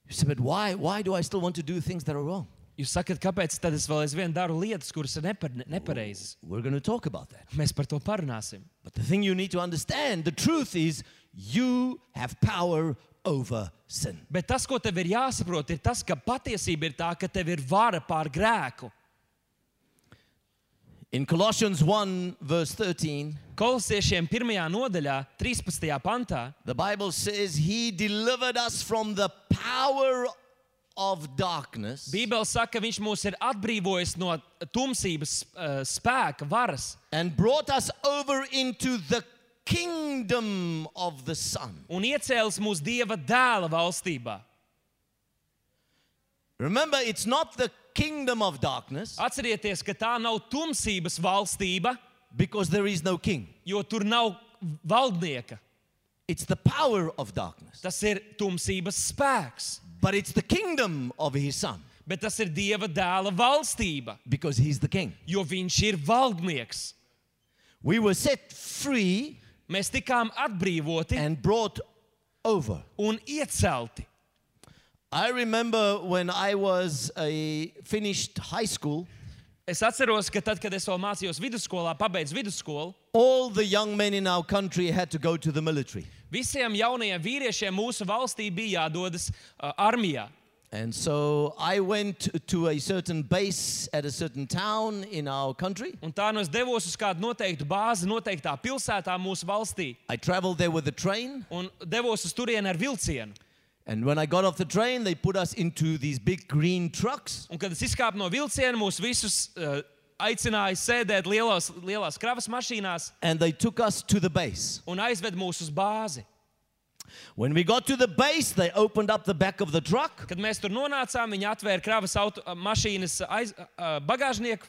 You say, but why, why do I still want to do things that are wrong? Jūs sakat, kāpēc tad es vēl aizvien daru lietas, kuras ir nepar, nepareizas? We're going to talk about that. Mēs par to parunāsim. But the thing you need to understand, the truth is, you have power over sin. Bet tas, ko tev ir jāsaprot, ir tas, ka patiesība ir tā, ka tev ir vara pār grēku. In Colossians one, verse thirteen, Kolosiešiem pirmajā nodaļā, trīspadsmitajā pantā, the Bible says, He delivered us from the power of darkness Bībele saka, ka viņš mūs ir atbrīvojis no tumsības uh, spēka, varas and brought us over into the kingdom of the Son. un iecēlis mūs Dieva dēla valstībā. Remember, it's not the kingdom of darkness Atcerieties, ka tā nav tumsības valstība, because there is no king. jo tur nav valdnieka. It's the power of darkness. Tas ir tumsības spēks, But it's the kingdom of His Son bet tas ir Dieva dēla valstība, because He's the king. jo viņš ir valdnieks. We were set free Mēs tikām atbrīvoti and brought over. un iecelti. I remember when I was a finished high school, Es atceros, ka tad, kad es vēl mācījos vidusskolā, pabeidzu vidusskolu, all the young men in our country had to go to the military. visiem jaunajiem vīriešiem mūsu valstī bija jādodas uh, armijā. And so I went to a certain base at a certain town in our country. Un tā nu es devos uz kādu noteiktu bāzi, noteiktā pilsētā mūsu valstī, I traveled there with a train. un devos uz turieni ar vilcienu. And when I got off the train, they put us into these big green trucks. Un kad es izkāpu no vilciena, mūs visus uh, aicināja sēdēt lielos, lielās kravas mašīnās and they took us to the base. un aizved mūs uz bāzi. When we got to the base, they opened up the back of the truck. Kad mēs tur nonācām, viņi atvēra kravas auto, mašīnas aiz, uh, bagāžnieku.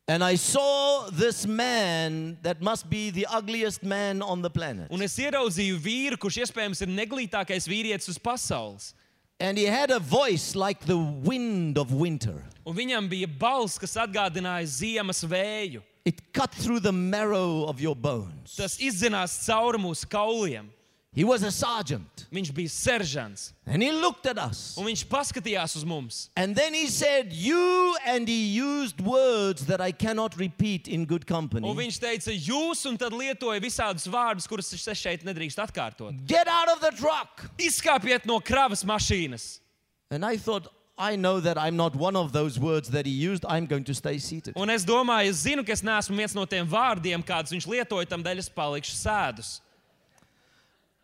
And I saw this man that must be the ugliest man on the planet. Un es ieraudzīju vīru, kurš iespējams ir neglītākais vīrietis uz pasaules. And he had a voice like the wind of winter. Un viņam bija balss, kas atgādināja ziemas vēju. It cut through the marrow of your bones. Tas izdzinās cauri mūsu kauliem. He was a sergeant. Viņš bija seržants. And he looked at us. Un viņš paskatījās uz mums. And then he said, you, and he used words that I cannot repeat in good Un company. viņš teica, jūs, un tad lietoja visādus vārdus, kurus es šeit nedrīkst atkārtot. Get out of the truck. Izkāpiet no kravas mašīnas. And I thought, I know that I'm not one of those words that he used. I'm going to stay seated. Un es domāju, es zinu, ka es neesmu viens no tiem vārdiem, kādus viņš lietoja, tam dēļ es palikšu sēdus.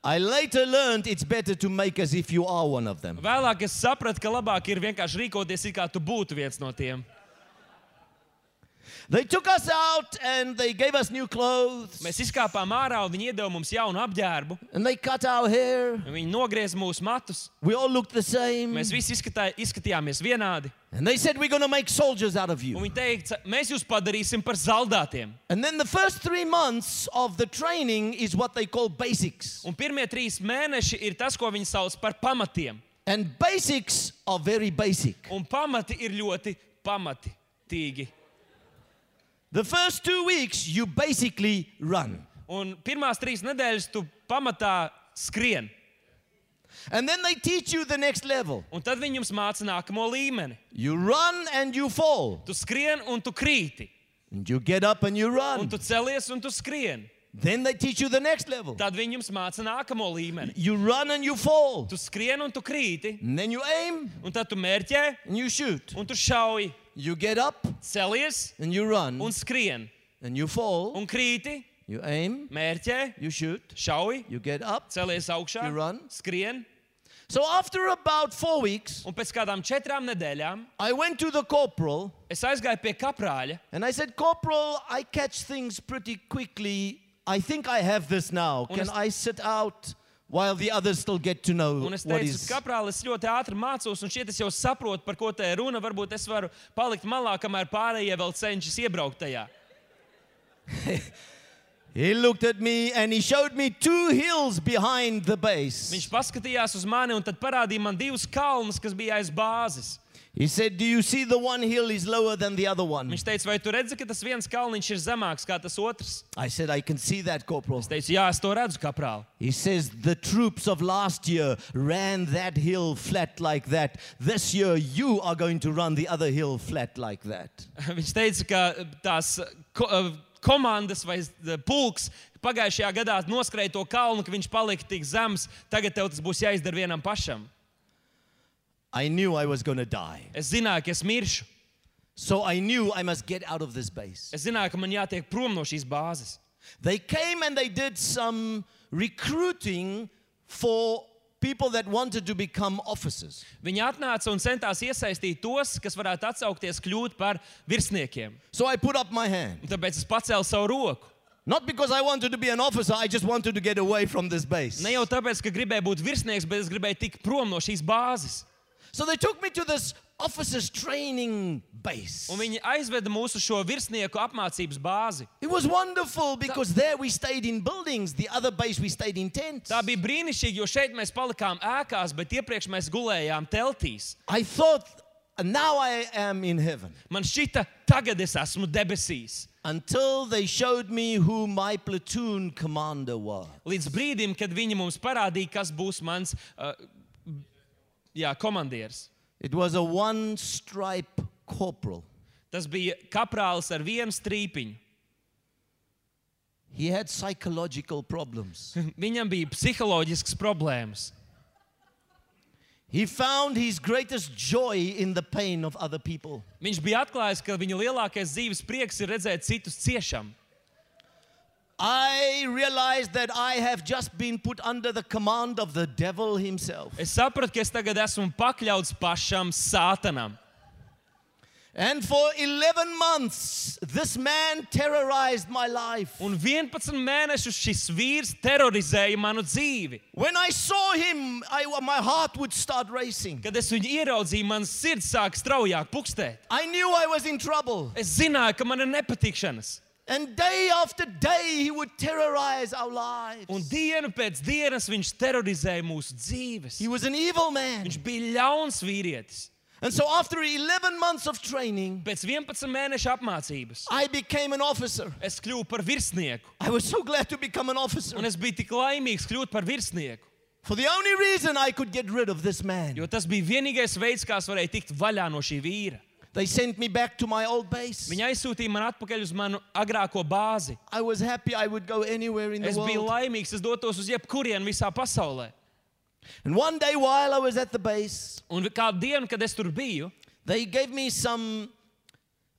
I later learned it's better to make as if you are one of them. Vēlāk es sapratu, ka labāk ir vienkārši rīkoties, it kā tu būtu viens no tiem. They took us out and they gave us new clothes. Mēs izkāpām ārā un viņi iedeva mums jaunu apģērbu. And they cut our hair. Un viņi nogriez mūsu matus. We all looked the same. Mēs visi izskatā, izskatījāmies vienādi. And they said, we're going to make soldiers out of Un you. viņi teica, mēs jūs padarīsim par zaldātiem. And then the first three months of the training is what they call basics. Un pirmie trīs mēneši ir tas, ko viņi sauc par pamatiem. And basics are very basic. Un pamati ir ļoti pamatīgi. The first two weeks, you basically run. Un pirmās trīs nedēļas tu pamatā skrien. And then they teach you the next level. Un tad viņi jums māca nākamo līmeni. You run and you fall. Tu skrien un tu krīti. And you get up and you Un run. tu celies un tu skrien. Then they teach you the next level. Tad viņi jums māca nākamo līmeni. You run and you fall. Tu skrien un tu krīti. And then you aim Un tad tu mērķē and you shoot. un tu šauj. You get up Celies and you run. un skrien. And you fall. Un krīti, You aim, mērķē, you shoot, šauj, you get up. celies augšā, You run. skrien. So after about four weeks, Un pēc kādām četrām nedēļām I went to the corporal es aizgāju pie kaprāļa. and I said, Corporal, I catch things pretty quickly. I think I have this now. Un Can es- I sit out while the others still get to know Un es what teicu, is... kaprāli, es ļoti ātri mācos, un šķiet, es jau saprotu, par ko te ir runa. Varbūt es varu palikt malā, kamēr pārējie vēl cenšas iebraukt tajā. He looked at me and he showed me two hills behind the base. Viņš paskatījās uz mani un tad parādīja man divus kalnus, kas bija aiz bāzes. He said, do you see the one hill is lower than the other one? Viņš teica, vai tu redzi, ka tas viens kalniņš ir zemāks kā tas otrs? I said, I can see that, Corporal. Es teicu, jā, es to redzu, kaprāli. He says, the troops of last year ran that hill flat like that. This year, you are going to run the other hill flat like that. Viņš teica, ka tās ko, komandas vai pulks pagājušajā gadā noskrēja to kalnu, ka viņš palika tik zems. Tagad tev tas būs jāizdara vienam pašam. I knew I was going to die. Es zināju, ka es miršu. So I knew I must get out of this base. Es zināju, ka man jātiek prom no šīs bāzes. They came and they did some recruiting for people that wanted to become officers. Viņi atnāca un centās iesaistīt tos, kas varētu atsaukties kļūt par virsniekiem. So I put up my hand. Un tāpēc es pacēlu savu roku. Not because I wanted to be an officer, I just wanted to get away from this base. Ne jau tāpēc, ka gribēju būt virsnieks, bet es gribēju tikt prom no šīs bāzes. So they took me to this officers training base. Un viņi aizveda mūs uz šo virsnieku apmācības bāzi. It was wonderful because there we stayed in buildings. The other base we stayed in tents. Tā bija brīnišķīgi, jo šeit mēs palikām ēkās, bet iepriekš mēs gulējām teltīs. I thought, now I am in heaven. Man šķita, tagad es esmu debesīs. Until they showed me who my platoon commander was. Līdz brīdim, kad viņi mums parādīja, kas būs mans uh, jā, komandieris. It was a one-stripe corporal. Tas bija kaprālis ar vienu strīpiņu. He had psychological problems. Viņam bija psiholoģisks problēmas. He found his greatest joy in the pain of other people. Viņš bija atklājis, ka viņa lielākais dzīves prieks ir redzēt citus ciešam. I realized that I have just been put under the command of the devil himself. Es sapratu, ka es tagad esmu pakļauts pašam sātanam. And for eleven months, this man terrorized my life. Un vienpadsmit mēnešus šis vīrs terorizēja manu dzīvi. When I saw him, I, my heart would start racing. Kad es viņu ieraudzīju, mans sirds sāk straujāk pukstēt. I knew I was in trouble. Es zināju, ka man ir nepatikšanas. And day after day, he would terrorize our lives. Un dienu pēc dienas viņš terorizēja mūsu dzīves. He was an evil man. Viņš bija ļauns vīrietis. And so after eleven months of training, Pēc vienpadsmit mēnešu apmācības I became an officer. es kļuvu par virsnieku. I was so glad to become an officer. Un es biju tik laimīgs kļūt par virsnieku. For the only reason I could get rid of this man. Jo tas bija vienīgais veids, kā es varēju tikt vaļā no šī vīra. They sent me back to my old base. Viņa aizsūtīja man atpakaļ uz manu agrāko bāzi. I was happy I would go anywhere in the Es biju world. laimīgs, es dotos uz jebkurienu visā pasaulē. And one day while I was at the base, Un kādu dienu, kad es tur biju, they gave me some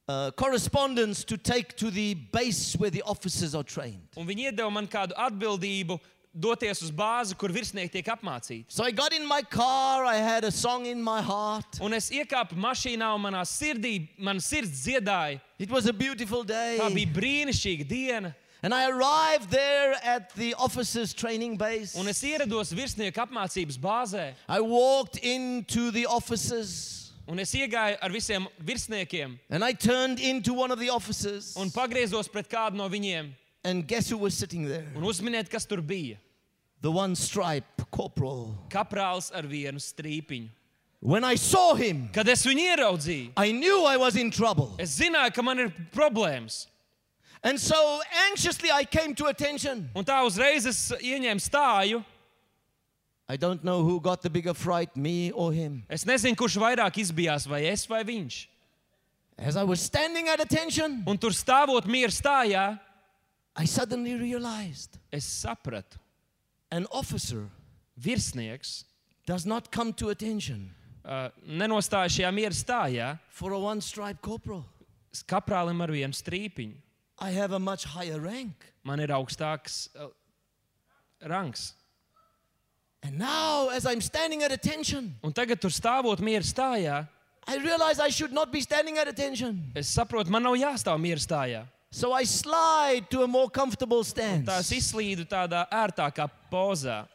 uh, correspondence to take to the base where the officers are trained. un viņi iedeva man kādu atbildību doties uz bāzi, kur virsnieki tiek apmācīti. So I got in my car, I had a song in my heart. Un es iekāpu mašīnā un manā sirdī, man sirds dziedāja. It was a beautiful day. Tā bija brīnišķīga diena. And I arrived there at the officers' training base. Un es ierados virsnieku apmācības bāzē. I walked into the offices Un es iegāju ar visiem virsniekiem and I turned into one of the officers. un pagriezos pret kādu no viņiem. And guess who was sitting there? Un uzminiet, kas tur bija. The one stripe corporal. Kaprāls ar vienu strīpiņu. When I saw him, Kad es viņu ieraudzīju, I knew I was in trouble. es zināju, ka man ir problēmas. And so anxiously I came to attention. Un tā uzreiz es ieņēmu stāju. I don't know who got the bigger fright, me or him. Es nezinu, kurš vairāk izbijās, vai es vai viņš. As I was standing at attention, Un tur stāvot mieru stājā, I suddenly realized es sapratu, an officer virsnieks does not come to attention uh, nenostāja šajā mieru stājā for a one stripe corporal. kaprālim ar vienu strīpiņu. I have a much higher rank. Man ir augstāks uh, rangs. And now, as I'm standing at attention, Un tagad tur stāvot mieru stājā, I realize I should not be standing at attention. es saprotu, man nav jāstāv mieru stājā. So I slide to a more comfortable Tā es stance. izslīdu tādā ērtākā pozā.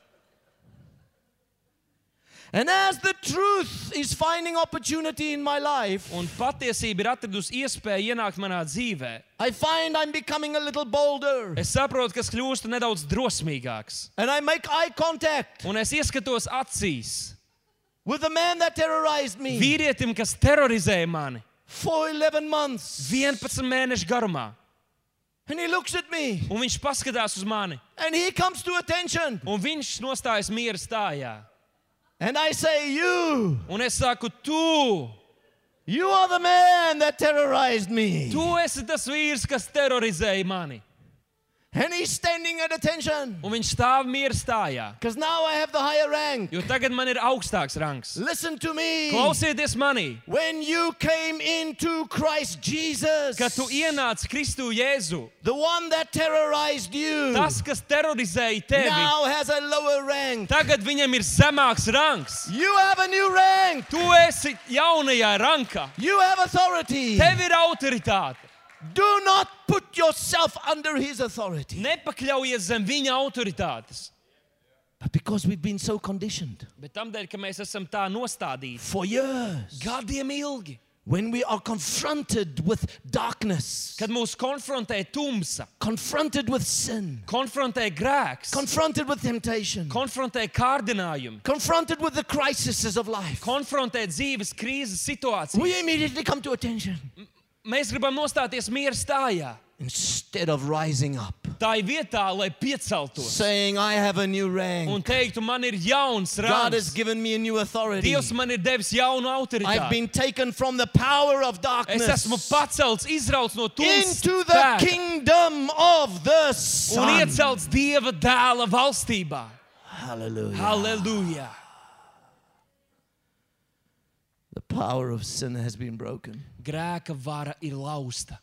And as the truth is finding opportunity in my life, Un patiesība ir atradusi iespēju ienākt manā dzīvē. I find I'm becoming a little bolder. Es saprotu, ka es kļūstu nedaudz drosmīgāks. And I make eye contact Un es ieskatos acīs with the man that terrorized me vīrietim, kas terorizēja mani for eleven months. vienpadsmit mēnešu garumā. And he looks at me Un viņš paskatās uz mani. and he comes to attention. Un viņš nostājas miera stājā. And I say, you, Un es saku, tu, you are the man that terrorized me. tu esi tas vīrs, kas terorizēja mani. And he's standing at attention Un viņš stāv miera stājā. because now I have the higher rank. Jo tagad man ir augstāks rangs. Listen to me. Klausieties manī, When you came into Christ Jesus, kad tu ienāc Kristu Jēzu, the one that terrorized you tas, kas terorizēja tevi, now has a lower rank. tagad viņam ir zemāks rangs. You have a new rank. Tu esi jaunajā rankā. You have authority. Tev ir autoritāte. Do not put yourself under his authority. Nepakļaujies zem viņa autoritātes. But because we've been so conditioned Bet tamdēļ, ka mēs esam tā nostādīti for years, gadiem ilgi, when we are confronted with darkness, kad mūs konfrontē tumsa, confronted with sin, konfrontē grēks, confronted with temptation, konfrontē kārdinājumi, confronted with the crises of life, konfrontē dzīves krīzes situāciju. we immediately come to attention Mēs gribam nostāties miera stājā. instead of rising up, Tā ir vietā, lai pieceltos saying, I have a new rank. un teiktu, man ir jauns God has rangs. given me a new authority. Dievs man ir devis jaunu I've autoritāti. been taken from the power of Es darkness esmu pacelts, izrauts no tumsas into the spēka kingdom of the un Son. iecelts Dieva dēla valstībā. Hallelujah. Halleluja! The power of sin has been broken. Grēka vara ir lausta.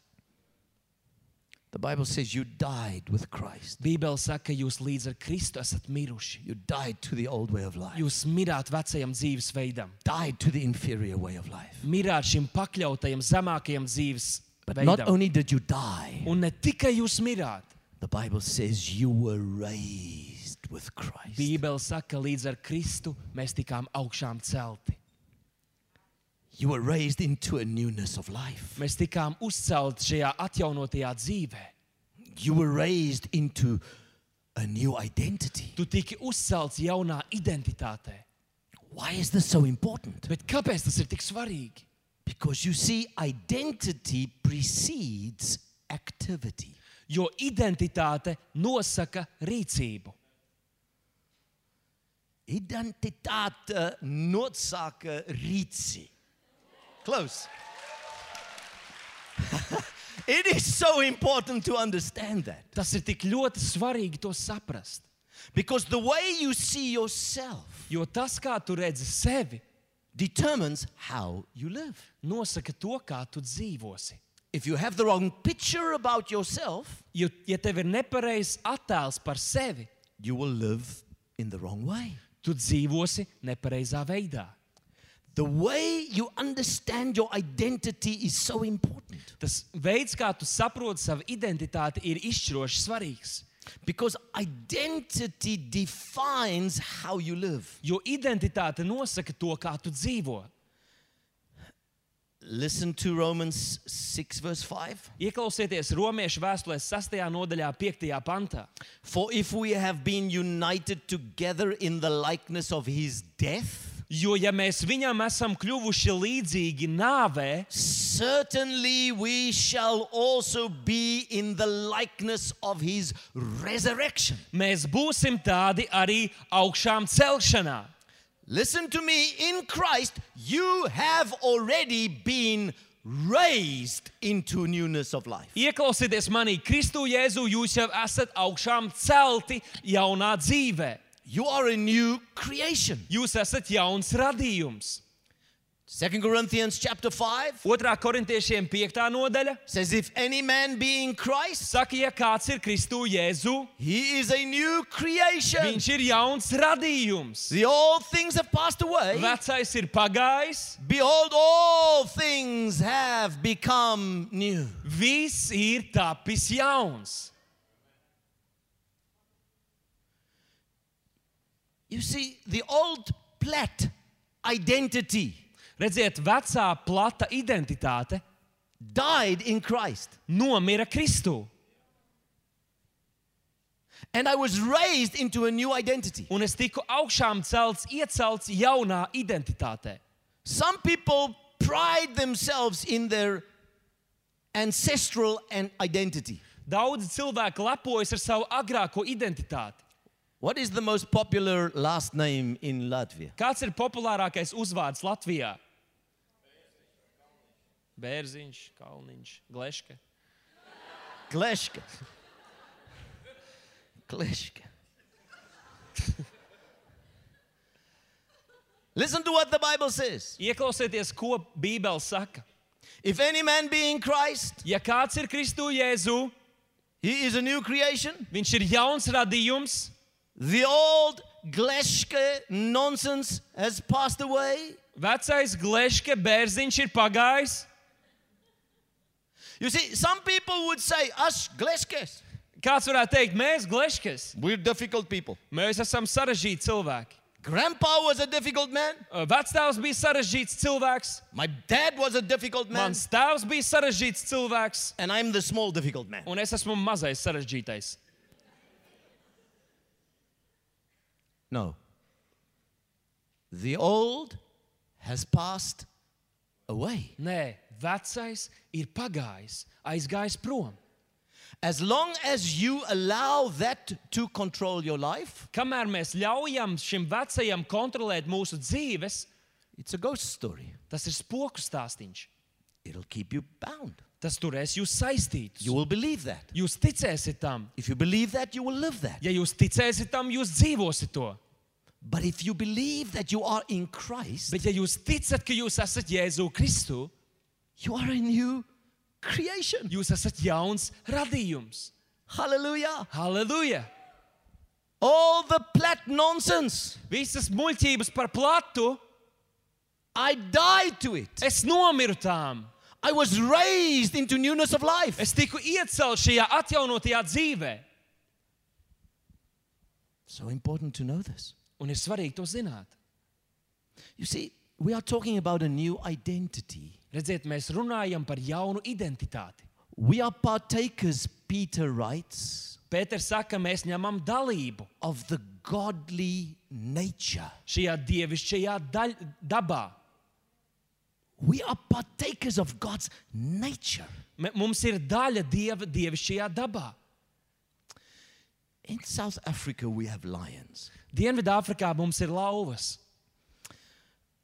The Bible says you died with Christ. Bībele saka, ka jūs līdz ar Kristu esat miruši. You died to the old way of life. Jūs mirāt vecajam dzīvesveidam. Died to the inferior way of life. Mirāt šim pakļautajam zemākajam dzīvesveidam. But not only did you die, Un ne tikai jūs mirāt. the Bible says you were raised with Christ. Bībele saka, ka līdz ar Kristu mēs tikām augšām celti. You were raised into a newness of life. Mēs tikām uzcelti šajā atjaunotajā dzīvē. You were raised into a new identity. Tu tiki uzcelts jaunā identitātē. Why is this so important? Bet kāpēc tas ir tik svarīgi? Because you see, identity precedes activity. Jo identitāte nosaka rīcību. Identitāte nosaka rīcību. Close. It is so important to understand that. Tas ir tik ļoti svarīgi to saprast. Because the way you see yourself Jo tas, kā tu redzi sevi, determines how you live. nosaka to, kā tu dzīvosi. If you have the wrong picture about yourself, Jo, ja tev ir nepareizs attēls par sevi, you will live in the wrong way. tu dzīvosi nepareizā veidā. The way you understand your identity is so important. Tas veids, kā tu saproti savu identitāti, ir izšķiroši svarīgs. Because identity defines how you live. Jo identitāte nosaka to, kā tu dzīvo. Listen to Romans six verse five. Ieklausieties Romiešu vēstulēs sastajā nodaļā, piektajā pantā. For if we have been united together in the likeness of his death, Jo, ja mēs viņam esam kļuvuši līdzīgi nāvē, certainly we shall also be in the likeness of his resurrection. mēs būsim tādi arī augšām celšanā. Listen to me, in Christ you have already been raised into newness of life. Ieklausieties manī, Kristu Jēzu, jūs jau esat augšām celti jaunā dzīvē. You are a new creation. Jūs esat jauns radījums. Second Corinthians chapter five Otrā korintiešiem piektā nodaļa says, if any man be in Christ, saka, ja kāds ir Kristu Jēzu, he is a new creation. viņš ir jauns radījums. The old things have passed away. Vecais ir pagājis, Behold, all things have become new. viss ir tapis jauns. You see, the old plat identity Redziet, vecā plata identitāte died in Christ. nomira Kristu. And I was raised into a new identity. Un es tiku augšām celts, iecelts jaunā identitātē. Some people pride themselves in their ancestral and identity. Daudzi cilvēki lepojas ar savu agrāko identitāti. What is the most popular last name in Latvia? Kāds ir populārākais uzvārds Latvijā? Bērziņš, Kalniņš, Gleške. Gleška. Gleška. Listen to what the Bible says. Ieklausieties, ko Bībele saka. If any man be in Christ, Ja kāds ir Kristu Jēzu, he is a new creation. viņš ir jauns radījums. The old Gleška nonsense has passed away. Vecais Gleške, Bērziņš ir pagājis. You see, some people would say, us Gleškes, Kāds varētu teikt, mēs Gleškes, we're difficult people. mēs esam sarežģīti cilvēki. Grandpa was a difficult man. Vectēvs bija sarežģīts cilvēks, My dad was a difficult man. mans tēvs bija sarežģīts cilvēks, And I'm the small difficult man. un es esmu mazais sarežģītais. No. The old has passed away. Nē, vecais ir pagājis, aizgājis prom. As long as you allow that to control your life, Kamēr mēs ļaujam šim vecajam kontrolēt mūsu dzīves, it's a ghost story. tas ir spoku stāstīņš. It'll keep you bound. Tas turēs jūs saistītus. You will believe that. Jūs ticēsiet tam. If you believe that, you will live that. Ja jūs ticēsiet tam, jūs dzīvosiet to. But if you believe that you are in Christ, Bet ja jūs ticat, ka jūs esat Jēzu Kristu, you are a new creation. Jūs esat jauns radījums. Hallelujah. Halleluja! All the plat nonsense, Visas muļķības par platu, I died to it. es nomiru tām. I was raised into newness of life. Es tiku iecelts šajā atjaunotajā dzīvē. So important to know this. Un ir svarīgi to zināt. You see, we are talking about a new identity. Redziet, mēs runājam par jaunu identitāti. We are partakers, Peter writes, Pēters saka, mēs ņemam dalību of the godly nature. šajā dievišķajā daļ, dabā. We are partakers of God's nature. M- Mums ir daļa dieva dievišķajā dabā. In South Africa, we have lions. Dienvidāfrikā mums ir lauvas.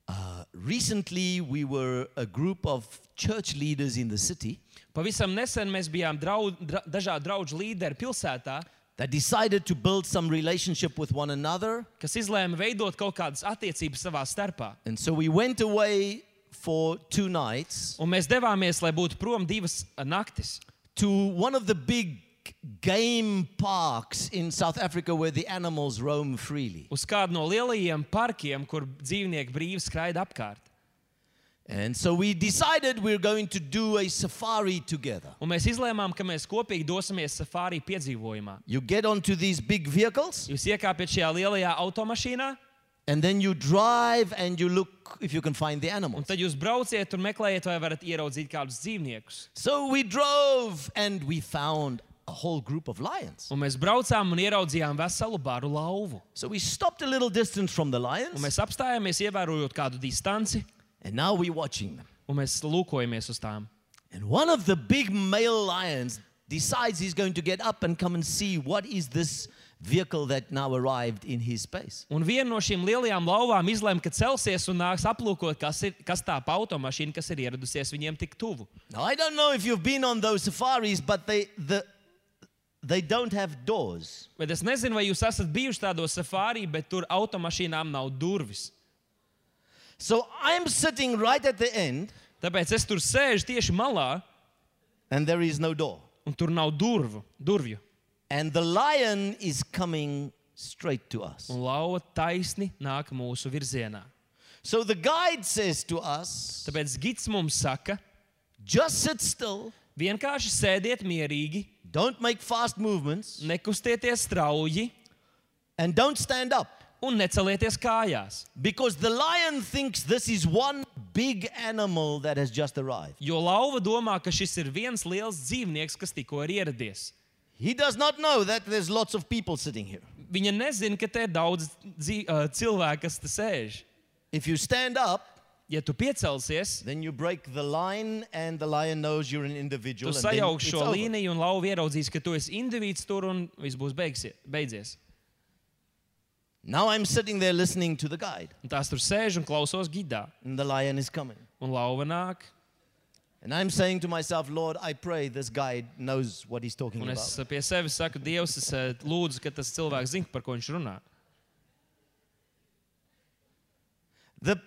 Uh, recently, we were a group of church leaders in the city Pavisam nesen mēs bijām draud, dra, dažādi draugu līderi pilsētā, that decided to build some relationship with one another. kas izlēma veidot kaut kādas attiecības savā starpā. And so we went away for two nights Un mēs devāmies, lai būtu prom divas naktis, to one of the big game parks in South Africa where the animals roam freely. uz kādu no lielajiem parkiem, kur dzīvnieki brīvi skraida apkārt. And so we decided we're going to do a safari together. Un mēs izlēmām, ka mēs kopīgi dosimies safari piedzīvojumā. You get onto these big vehicles Jūs iekāpjat šajā lielajā automašīnā, and then you drive and you look if you can find the un animals. tad jūs brauciet un meklējiet, vai varat ieraudzīt kādus dzīvniekus. So we drove and we found a whole group of lions. Un mēs braucām un ieraudzījām veselu baru lauvu. So we stopped a little distance from the Un lions mēs apstājāmies, ievērojot kādu distanci, and now we're watching them. un mēs lūkojamies uz tām. And one of the big male lions decides he's going to get up and come and see what is this vehicle that now arrived in his space. Un viena no šīm lielajām lauvām izlēma, ka celsies un nāks aplūkot, kas, ir, kas tā pa automašīna, kas ir ieradusies viņiem tik tuvu. Now I don't know if you've been on those safaris, but they the they don't have doors. Bet es nezinu, vai jūs esat bijuši tādos safari, bet tur automašīnām nav durvis. So I'm sitting right at the end Tāpēc es tur sēžu tieši malā, and there is no door. un tur nav durvu, durvju. And the lion is coming straight to us. Un lauva taisni nāk mūsu virzienā. So the guide says to us, Tāpēc gids mums saka, just sit still, vienkārši sēdiet mierīgi, don't make fast movements, nekustieties strauji and don't stand up. un necelieties kājās. Because the lion thinks this is one big animal that has just arrived. Jo lauva domā, ka šis ir viens liels dzīvnieks, kas tikko ir ieradies. He does not know that there's lots of people sitting here. Viņa nezina, ka te ir daudz dzīv, uh, cilvēku, kas te sēž. If you stand up, Ja tu piecelsies, then you break the line and the lion knows you're an tu individual. And then sajauksi it's šo over. līniju un lauva ieraudzīs, ka tu esi indivīds tur un viss būs beigsie, beidzies. Now I'm sitting there listening to the guide, Un tās tur sēž un klausos gidā. and the lion is coming. Un lauva nāk. And I'm saying to myself, Lord, I pray this guide knows what he's talking Un about. es pie sevis saku, Dievs, es eh, lūdzu, ka tas cilvēks zina, par ko viņš runā. The,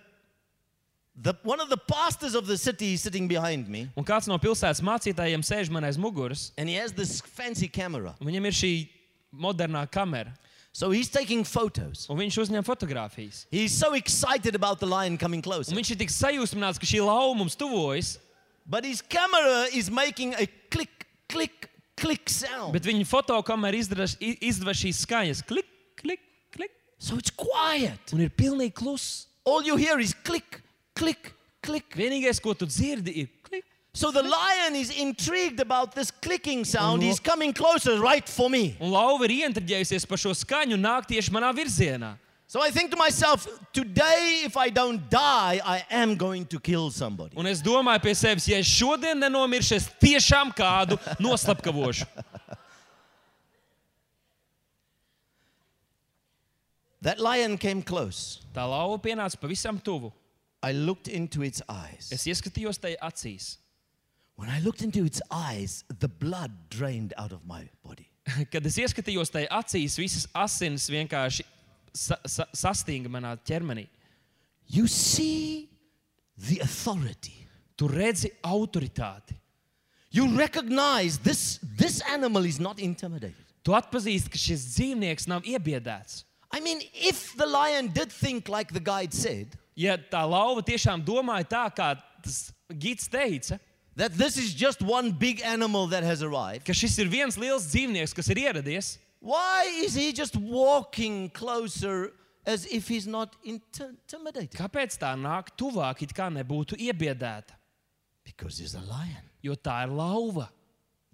the, one of the pastors of the city is sitting behind me, Un kāds no pilsētas mācītājiem sēž man aiz muguras, and he has this fancy camera. un viņam ir šī modernā kamera, So he's taking photos. un viņš uzņem fotogrāfijas. He's so excited about the lion coming closer. Un viņš ir tik sajūsmināts, ka šī lauva mums tuvojas, But his camera is making a click, click, click sound. bet viņa fotokamera izdara- i- izdeva šīs skaņas. Klik, klik, klik. So it's quiet. Un ir pilnīgi kluss. All you hear is click, click, click. Vienīgais, ko tu dzirdi, ir klik. So the lion is intrigued about this clicking sound. Un- He's coming closer right for me. Un lauva ir ieintriģējusies par šo skaņu un nāk tieši manā virzienā. So I think to myself, today, if I don't die, I am going to kill somebody. Un es domāju pie sevis, ja es šodien nenomiršu, es tiešām kādu noslapkavošu. That lion came close. Tā lauva pienāca pavisam tuvu. I looked into its eyes. Es ieskatījos tai acīs. When I looked into its eyes, the blood drained out of my body. Kad es ieskatījos tai acīs, visas asinis vienkārši sa sa sastinga manā ķermenī. You see the authority. Tu redzi autoritāti. You recognize this, this animal is not intimidated. Tu atpazīsti, ka šis dzīvnieks nav iebiedēts. I mean, if the lion did think like the guide said, Ja tā lauva tiešām domāja tā, kā tas gids teica, that this is just one big animal that has arrived, ka šis ir viens liels dzīvnieks, kas ir ieradies, why is he just walking closer as if he's not inti- intimidated? kāpēc tā nāk tuvāk, it kā nebūtu iebiedēta? Because he's a lion. Jo tā ir lauva,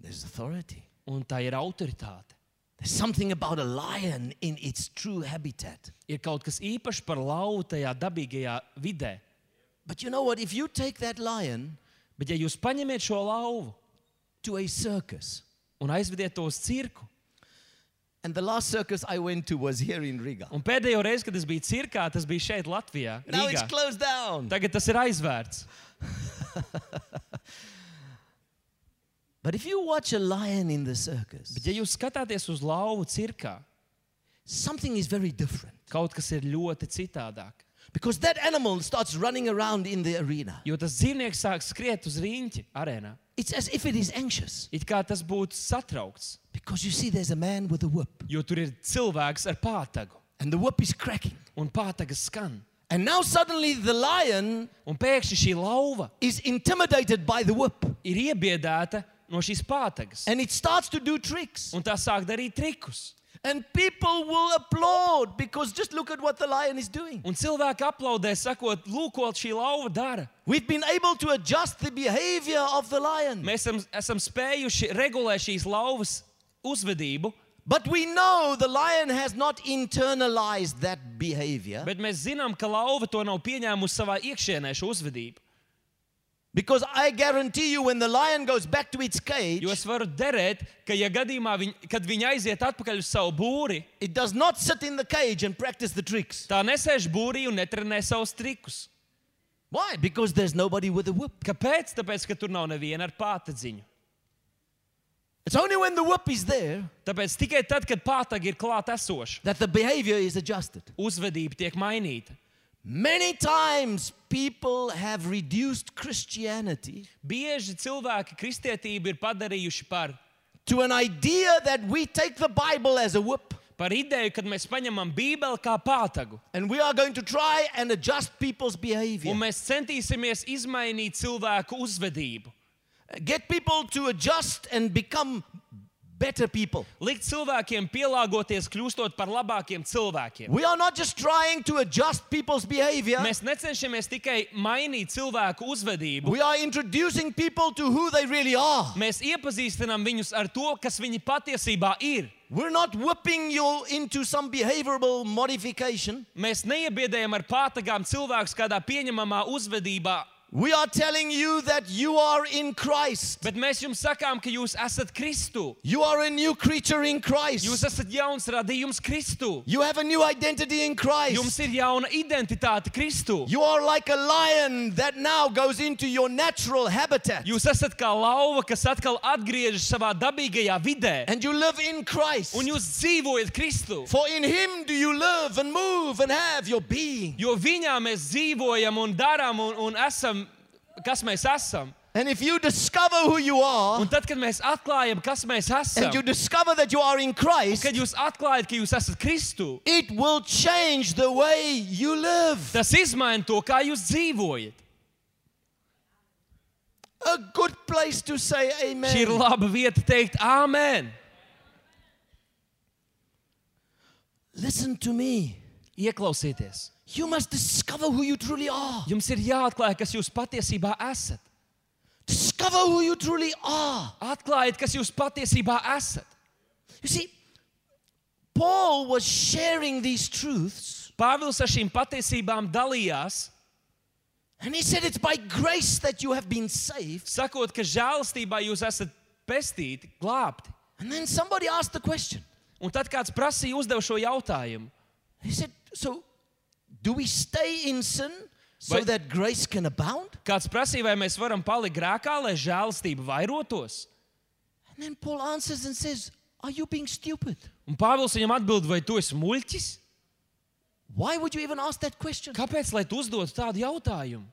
There's authority. un tā ir autoritāte. There's something about a lion in its true habitat. Ir kaut kas īpašs par lauvu tajā dabīgajā vidē. But you know what? If you take that lion Bet ja jūs paņemiet šo lauvu to a circus, un aizvediet to uz cirku, and the last circus I went to was here in Riga. un pēdējo reizi, kad es biju cirkā, tas bija šeit Latvijā, Now it's Rīgā. closed down. Tagad tas ir aizvērts. But if you watch a lion in the circus, Bet ja jūs skatāties uz lauvu cirkā, something is very different. kaut kas ir ļoti citādāk. Because that animal starts running around in the arena. Jo tas dzīvnieks sāk skriet uz riņķi arēnā. It's as if it is anxious. It kā tas būtu satraukts, Because you see, there's a man with a whip, jo tur ir cilvēks ar pātagu, and the whip is cracking. un pātagas skan. And now suddenly the lion Un pēkšņi šī lauva is intimidated by the whip, ir iebiedēta no šīs pātagas, and it starts to do tricks. un tā sāk darīt trikus. And people will applaud because just look at what the lion is doing. Un cilvēki aplaudē, sakot, lūk, ko šī lauva dara. We've been able to adjust the behavior of the lion. Mēs esam, esam spējuši regulēt šīs lauvas uzvedību, But we know the lion has not internalized that behavior, bet mēs zinām, ka lauva to nav pieņēmusi savā iekšienē šo uzvedību. because I guarantee you when the lion goes back to its cage, Jo es varu derēt, ka ja gadījumā, viņ, kad viņi aiziet atpakaļ uz savu būri, it does not sit in the cage and practice the tricks. tā nesēž būrī un netrenē savus trikus. Why? Because there's nobody with a whip. Kāpēc? Tāpēc, ka tur nav neviena ar pātadziņu. It's only when the whip is there Tāpēc tikai tad, kad pātagi ir klāt esoša, that the behavior is adjusted. uzvedība tiek mainīta. Many times people have reduced Christianity Bieži cilvēki kristietību ir padarījuši par, to an idea that we take the Bible as a whip par ideju, kad mēs paņemam Bībeli kā pātagu, and we are going to try and adjust people's behavior. un mēs centīsimies izmainīt cilvēku uzvedību. Get people to adjust and become better people. Likt cilvēkiem pielāgoties, kļūstot par labākiem cilvēkiem. We are not just trying to adjust people's behavior. Mēs necenšamies tikai mainīt cilvēku uzvedību. We are introducing people to who they really are. Mēs iepazīstinām viņus ar to, kas viņi patiesībā ir. We're not whipping you into some behavioral modification. Mēs neiebiedējam ar pātagām cilvēkus kādā pieņemamā uzvedībā, We are telling you that you are in Christ. bet mēs jums sakām, ka jūs esat Kristu. You are a new creature in Jūs Christ. esat jauns radījums Kristu. You have a new identity in Jums Christ. ir jauna identitāte Kristu. You are like a lion that now goes into your natural habitat. Jūs esat kā lauva, kas atkal atgriežas savā dabīgajā vidē. And you live in Christ. Un jūs dzīvojat Kristu. For in Him do you live and move and have your being. Jo viņā mēs dzīvojam un darām un, un esam, kas mēs esam. And if you discover who you are, Un tad, kad mēs atklājam, kas mēs esam, and you discover that you are in Christ, kad jūs atklājat, ka jūs esat Kristu, it will change the way you live. tas izmaina to, kā jūs dzīvojat. A good place to say amen. Šī ir laba vieta teikt āmen. Listen to me. Ieklausieties. You must discover who you truly are. Jums ir jāatklāj, kas jūs patiesībā esat. Discover who you truly are. Atklājiet, kas jūs patiesībā esat. You see, Paul was sharing these truths, Pāvils ar šīm patiesībām dalījās, and he said it's by grace that you have been saved. sakot, ka žēlastībā jūs esat pestīti, glābti. And then somebody asked the question. Un tad kāds prasīja, uzdev šo jautājumu. He said, so do we stay in sin so Vai- that grace can abound? Kāds prasīja, vai mēs varam palikt grēkā, lai žēlastība vairotos? And then Paul answers and says, are you being stupid? Un Pāvils viņam atbild, vai tu esi muļķis? Why would you even ask that question? Kāpēc, lai tu uzdotu tādu jautājumu?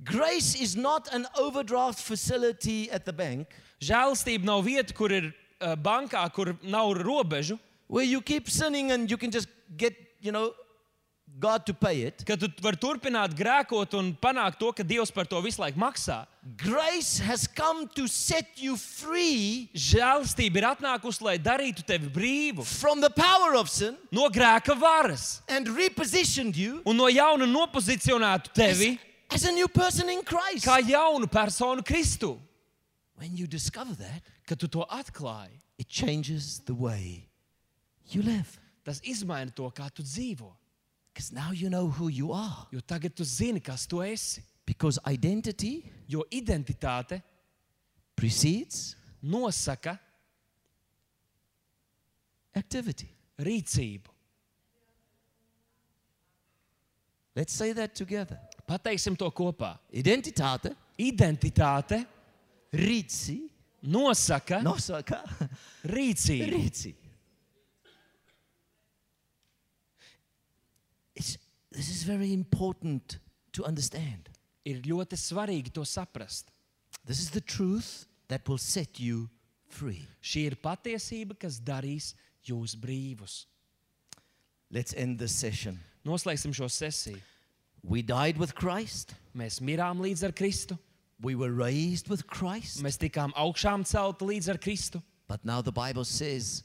Grace is not an overdraft facility at the bank Žēlastība nav vieta, kur ir uh, bankā, kur nav robežu, where you keep sinning and you can just get, you know, God to pay it. ka tu vari turpināt grēkot un panākt to, ka Dievs par to visu laiku maksā. Grace has come to set you free Žēlastība ir atnākusi, lai darītu tevi brīvu from the power of sin no grēka varas and repositioned you un no jauna nopozicionētu tevi as a new person in Christ. kā jaunu personu Kristu. When you discover that, Kad tu to atklāji, it changes the way you live. tas izmaina to, kā tu dzīvo. Because now you know who you are. Jo tagad tu zini, kas tu esi. Because identity Jo identitāte precedes nosaka activity. rīcību. Let's say that together. Pateiksim to kopā. Identitāte, Identitāte rīci, nosaka nosaka rīcību. rīci. It's, this is very important to understand. Ir ļoti svarīgi to saprast. This is the truth that will set you free. Šī ir patiesība, kas darīs jūs brīvus. Let's end this session. Noslēgsim šo sesiju. We died with Christ. Mēs mirām līdz ar Kristu. We were raised with Christ. Mēs tikām augšām celti līdz ar Kristu. But now the Bible says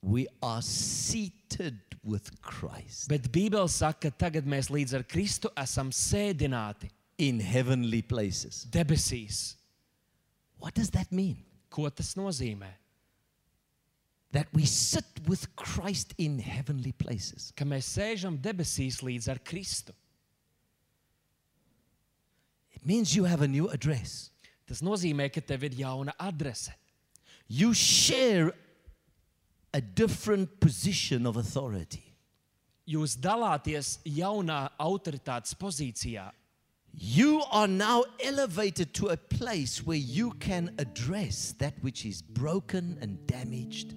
we are seated with Christ Bet Bībele saka, ka tagad mēs līdz ar Kristu esam sēdināti in heavenly places. debesīs. What does that mean? Ko tas nozīmē? That we sit with Christ in heavenly places. Ka mēs sēžam debesīs līdz ar Kristu. It means you have a new address. Tas nozīmē, ka tev ir jauna adrese. You share a different position of authority. Jūs dalāties jaunā autoritātes pozīcijā. You are now elevated to a place where you can address that which is broken and damaged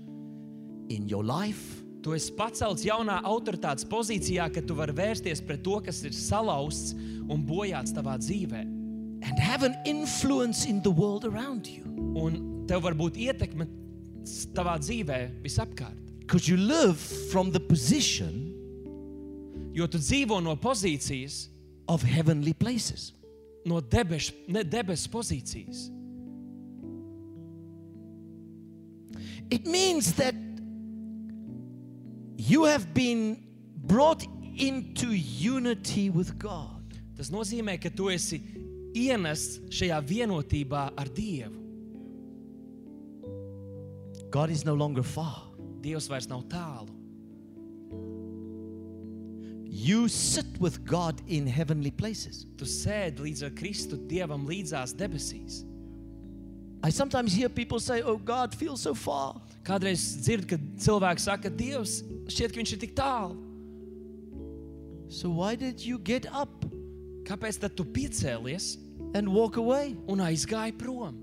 in your life, Tu esi pacelts jaunā autoritātes pozīcijā, ka tu vari vērsties pret to, kas ir salauzts un bojāts tavā dzīvē. and have an influence in the world around you. Un tev var būt ietekme tavā dzīvē visapkārt. Because you live from the position Jo tu dzīvo no pozīcijas, of heavenly places. no debešu, ne debesu pozīcijas. It means that you have been brought into unity with God. Tas nozīmē, ka tu esi ienests šajā vienotībā ar Dievu. God is no longer far. Dievs vairs nav tālu. You sit with God in heavenly places. Tu sēdi līdz ar Kristu Dievam līdzās debesīs. I sometimes hear people say, oh, God feels so far. Kādreiz dzirdu, kad cilvēki saka, Dievs, šķiet, ka viņš ir tik tālu. So why did you get up Kāpēc tad tu piecēlies and walk away? un aizgāji prom?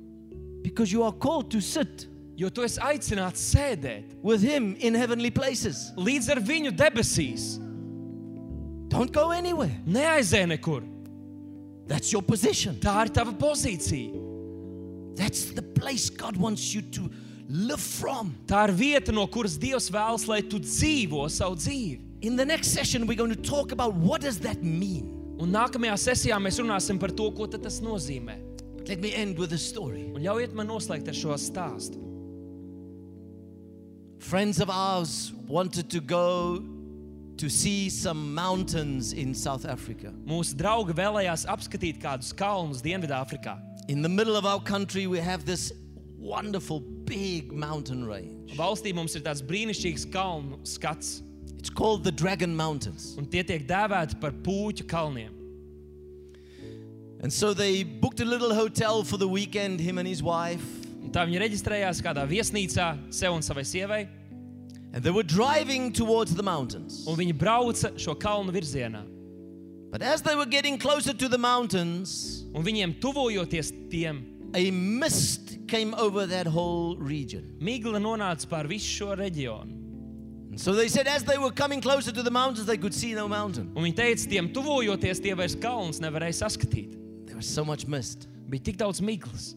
Because you are called to sit Jo tu esi aicināts sēdēt with Him in heavenly places. līdz ar viņu debesīs. Don't go anywhere. Neaizēj nekur. That's your position. Tā ir tava pozīcija. That's the place God wants you to live from. Tā ir vieta, no kuras Dievs vēlas, lai tu dzīvo savu dzīvi. In the next session, we're going to talk about what does that mean. Un nākamajā sesijā mēs runāsim par to, ko tad tas nozīmē. Let me end with a story. Un ļaujiet man noslēgt ar šo stāstu. Friends of ours wanted to go to see some mountains in South Africa. Mūsu draugi vēlējās apskatīt kādus kalnus Dienvidāfrikā. In the middle of our country, we have this wonderful big mountain range. Valstī mums ir tāds brīnišķīgs kalnu skats, It's called the Dragon Mountains. un tie tiek dēvēti par pūķu kalniem. And so they booked a little hotel for the weekend, him and his wife. Un tā viņi reģistrējās kādā viesnīcā sev un savai sievai, And they were driving towards the mountains. un viņi brauca šo kalnu virzienā. But as they were getting closer to the mountains, Un viņiem tuvojoties tiem, a mist came over that whole region. migla nonāca pār visu šo reģionu. And so they said as they were coming closer to the mountains, they could see no mountain. Un viņi teica, tiem tuvojoties, tie vairs kalnus nevarēja saskatīt. They There was so much mist. Bija tik daudz miglas.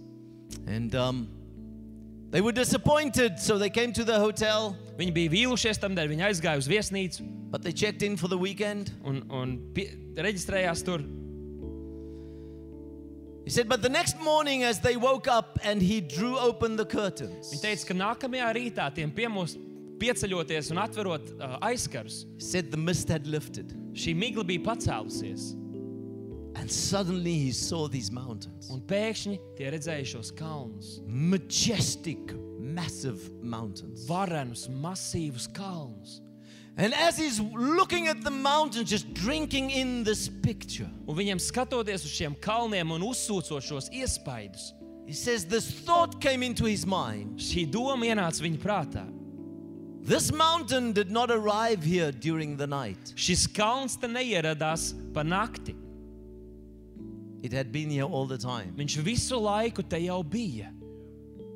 And um, they were disappointed, so they came to the hotel, Viņi bija vīlušies, tamdēļ viņi aizgāja uz viesnīcu but they checked in for the weekend. un, un pie, reģistrējās tur. He said, but the next morning as they woke up and he drew open the curtains, Viņi teica, ka nākamajā rītā tiem piemūs pieceļoties un atverot uh, aizkarus, he said the mist had lifted. šī migla bija pacēlusies. And suddenly he saw these mountains. Un pēkšņi tie redzēja šos kalnus. Majestic, massive mountains. Varenus, masīvus kalnus. And as he's looking at the mountains, just drinking in this picture, Un viņiem skatoties uz šiem kalniem un uzsūcot šos iespaidus, he says this thought came into his mind. šī doma ienāca viņa prātā. This mountain did not arrive here during the night. Šis kalns te neieradās pa nakti. It had been here all the time, Viņš visu laiku te jau bija.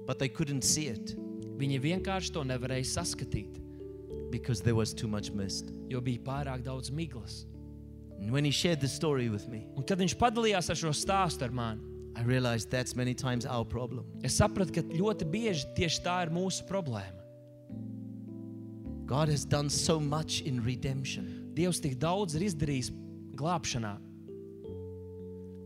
but they couldn't see it Viņi vienkārši to nevarēja saskatīt, because there was too much mist. jo bija pārāk daudz miglas. And when he shared the story with me, Un kad viņš padalījās ar šo stāstu ar mani, I realized that's many times our problem. es sapratu, ka ļoti bieži tieši tā ir mūsu problēma. God has done so much in redemption. Dievs tik daudz ir izdarījis glābšanā.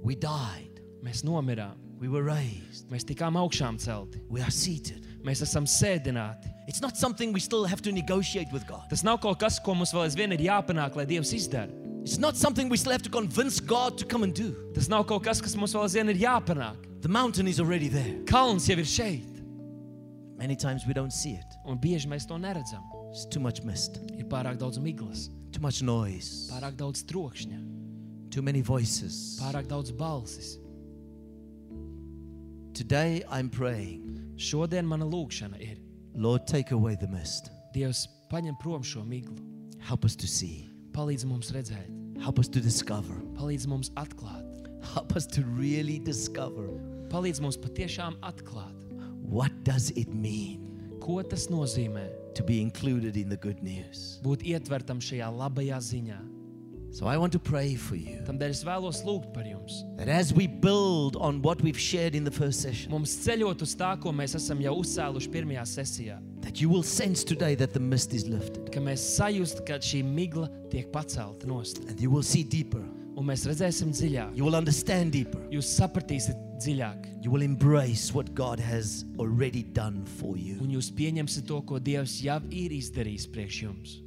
We died. Mēs nomirām, We were raised. mēs tikām augšām celti, We are seated. mēs esam sēdināti. It's not something we still have to negotiate with God. Tas nav kaut kas, ko mums vēl aizvien ir jāpanāk, lai Dievs izdara. It's not something we still have to convince God to come and do. Tas nav kaut kas, kas mums vēl aizvien ir jāpanāk. The mountain is already there. Kalns jau ir šeit, Many times we don't see it. un bieži mēs to neredzam. It's too much mist, Ir pārāk daudz miglas, too much noise, pārāk daudz trokšņa, too many voices. pārāk daudz balsis. Today I'm praying, Šodien mana lūgšana ir: Lord, take away the mist. Dievs, paņem prom šo miglu, Help us to see. palīdz mums redzēt, Help us to discover. palīdz mums atklāt, Help us to really discover. palīdz mums patiešām atklāt, What does it mean ko tas nozīmē to be included in the good news? būt ietvertam šajā labajā ziņā. So I want to pray for you Tamdēļ es vēlos lūgt par jums. that as we build on what we've shared in the first session, Mums ceļot uz tā, ko mēs esam jau uzcēluši pirmajā sesijā, that you will sense today that the mist is lifted ka mēs sajust, ka šī migla tiek pacelta nost, and you will see deeper. un mēs redzēsim dziļāk. You will understand deeper. Jūs sapratīsiet dziļāk, You will embrace what God has already done for you. un jūs pieņemsiet to, ko Dievs jau ir izdarījis priekš jums.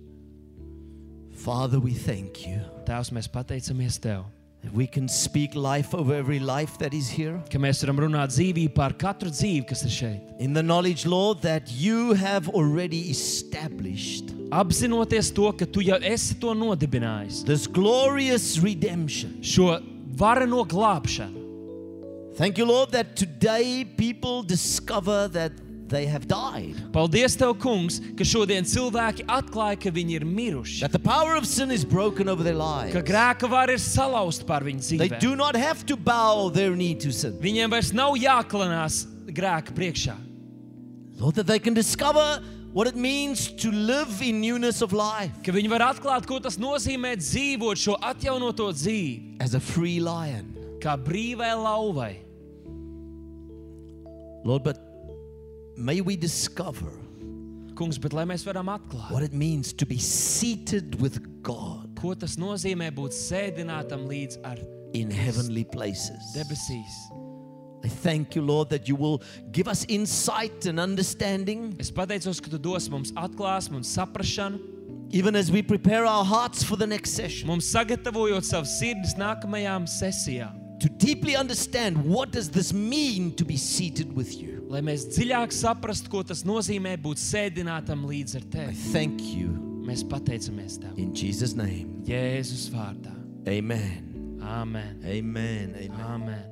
Father, we thank you Tēvs, mēs pateicamies Tev, that we can speak life over every life that is here. ka mēs varam runāt dzīvību pār katru dzīvi, kas ir šeit. In the knowledge, Lord, that you have already established Apzinoties to, ka Tu jau esi to nodibinājis, this glorious redemption. šo vareno glābšanu. Thank you, Lord, that today people discover that they have died. Paldies Tev, kungs, ka šodien cilvēki atklāja, ka viņi ir miruši, That the power of sin is broken over their lives. ka grēka vara ir salauzta pār viņu They dzīvēm. do not have to bow their knee to sin. Viņiem vairs nav jāklanās grēka priekšā. Lord, that they can discover what it means to live in newness of life Ka viņi var atklāt, ko tas nozīmē dzīvot šo atjaunoto dzīvi, as a free lion. kā brīvai lauvai. Lord, but may we discover Kungs, bet lai mēs varam atklāt, what it means to be seated with God ko tas nozīmē būt sēdinātam līdz ar in heavenly places. debesīs. I thank you, Lord, that you will give us insight and understanding, Es pateicos, ka Tu dos mums atklāsmi un saprašanu, even as we prepare our hearts for the next session, mums sagatavojot savas sirdis nākamajām sesijām, to deeply understand what does this mean to be seated with you. lai mēs dziļāk saprastu, ko tas nozīmē būt sēdinātam līdz ar I Tevi. thank you Mēs pateicamies Tev. in Jesus' name. Jēzus vārdā. Amen. Āmen. Amen. Amen. Āmen.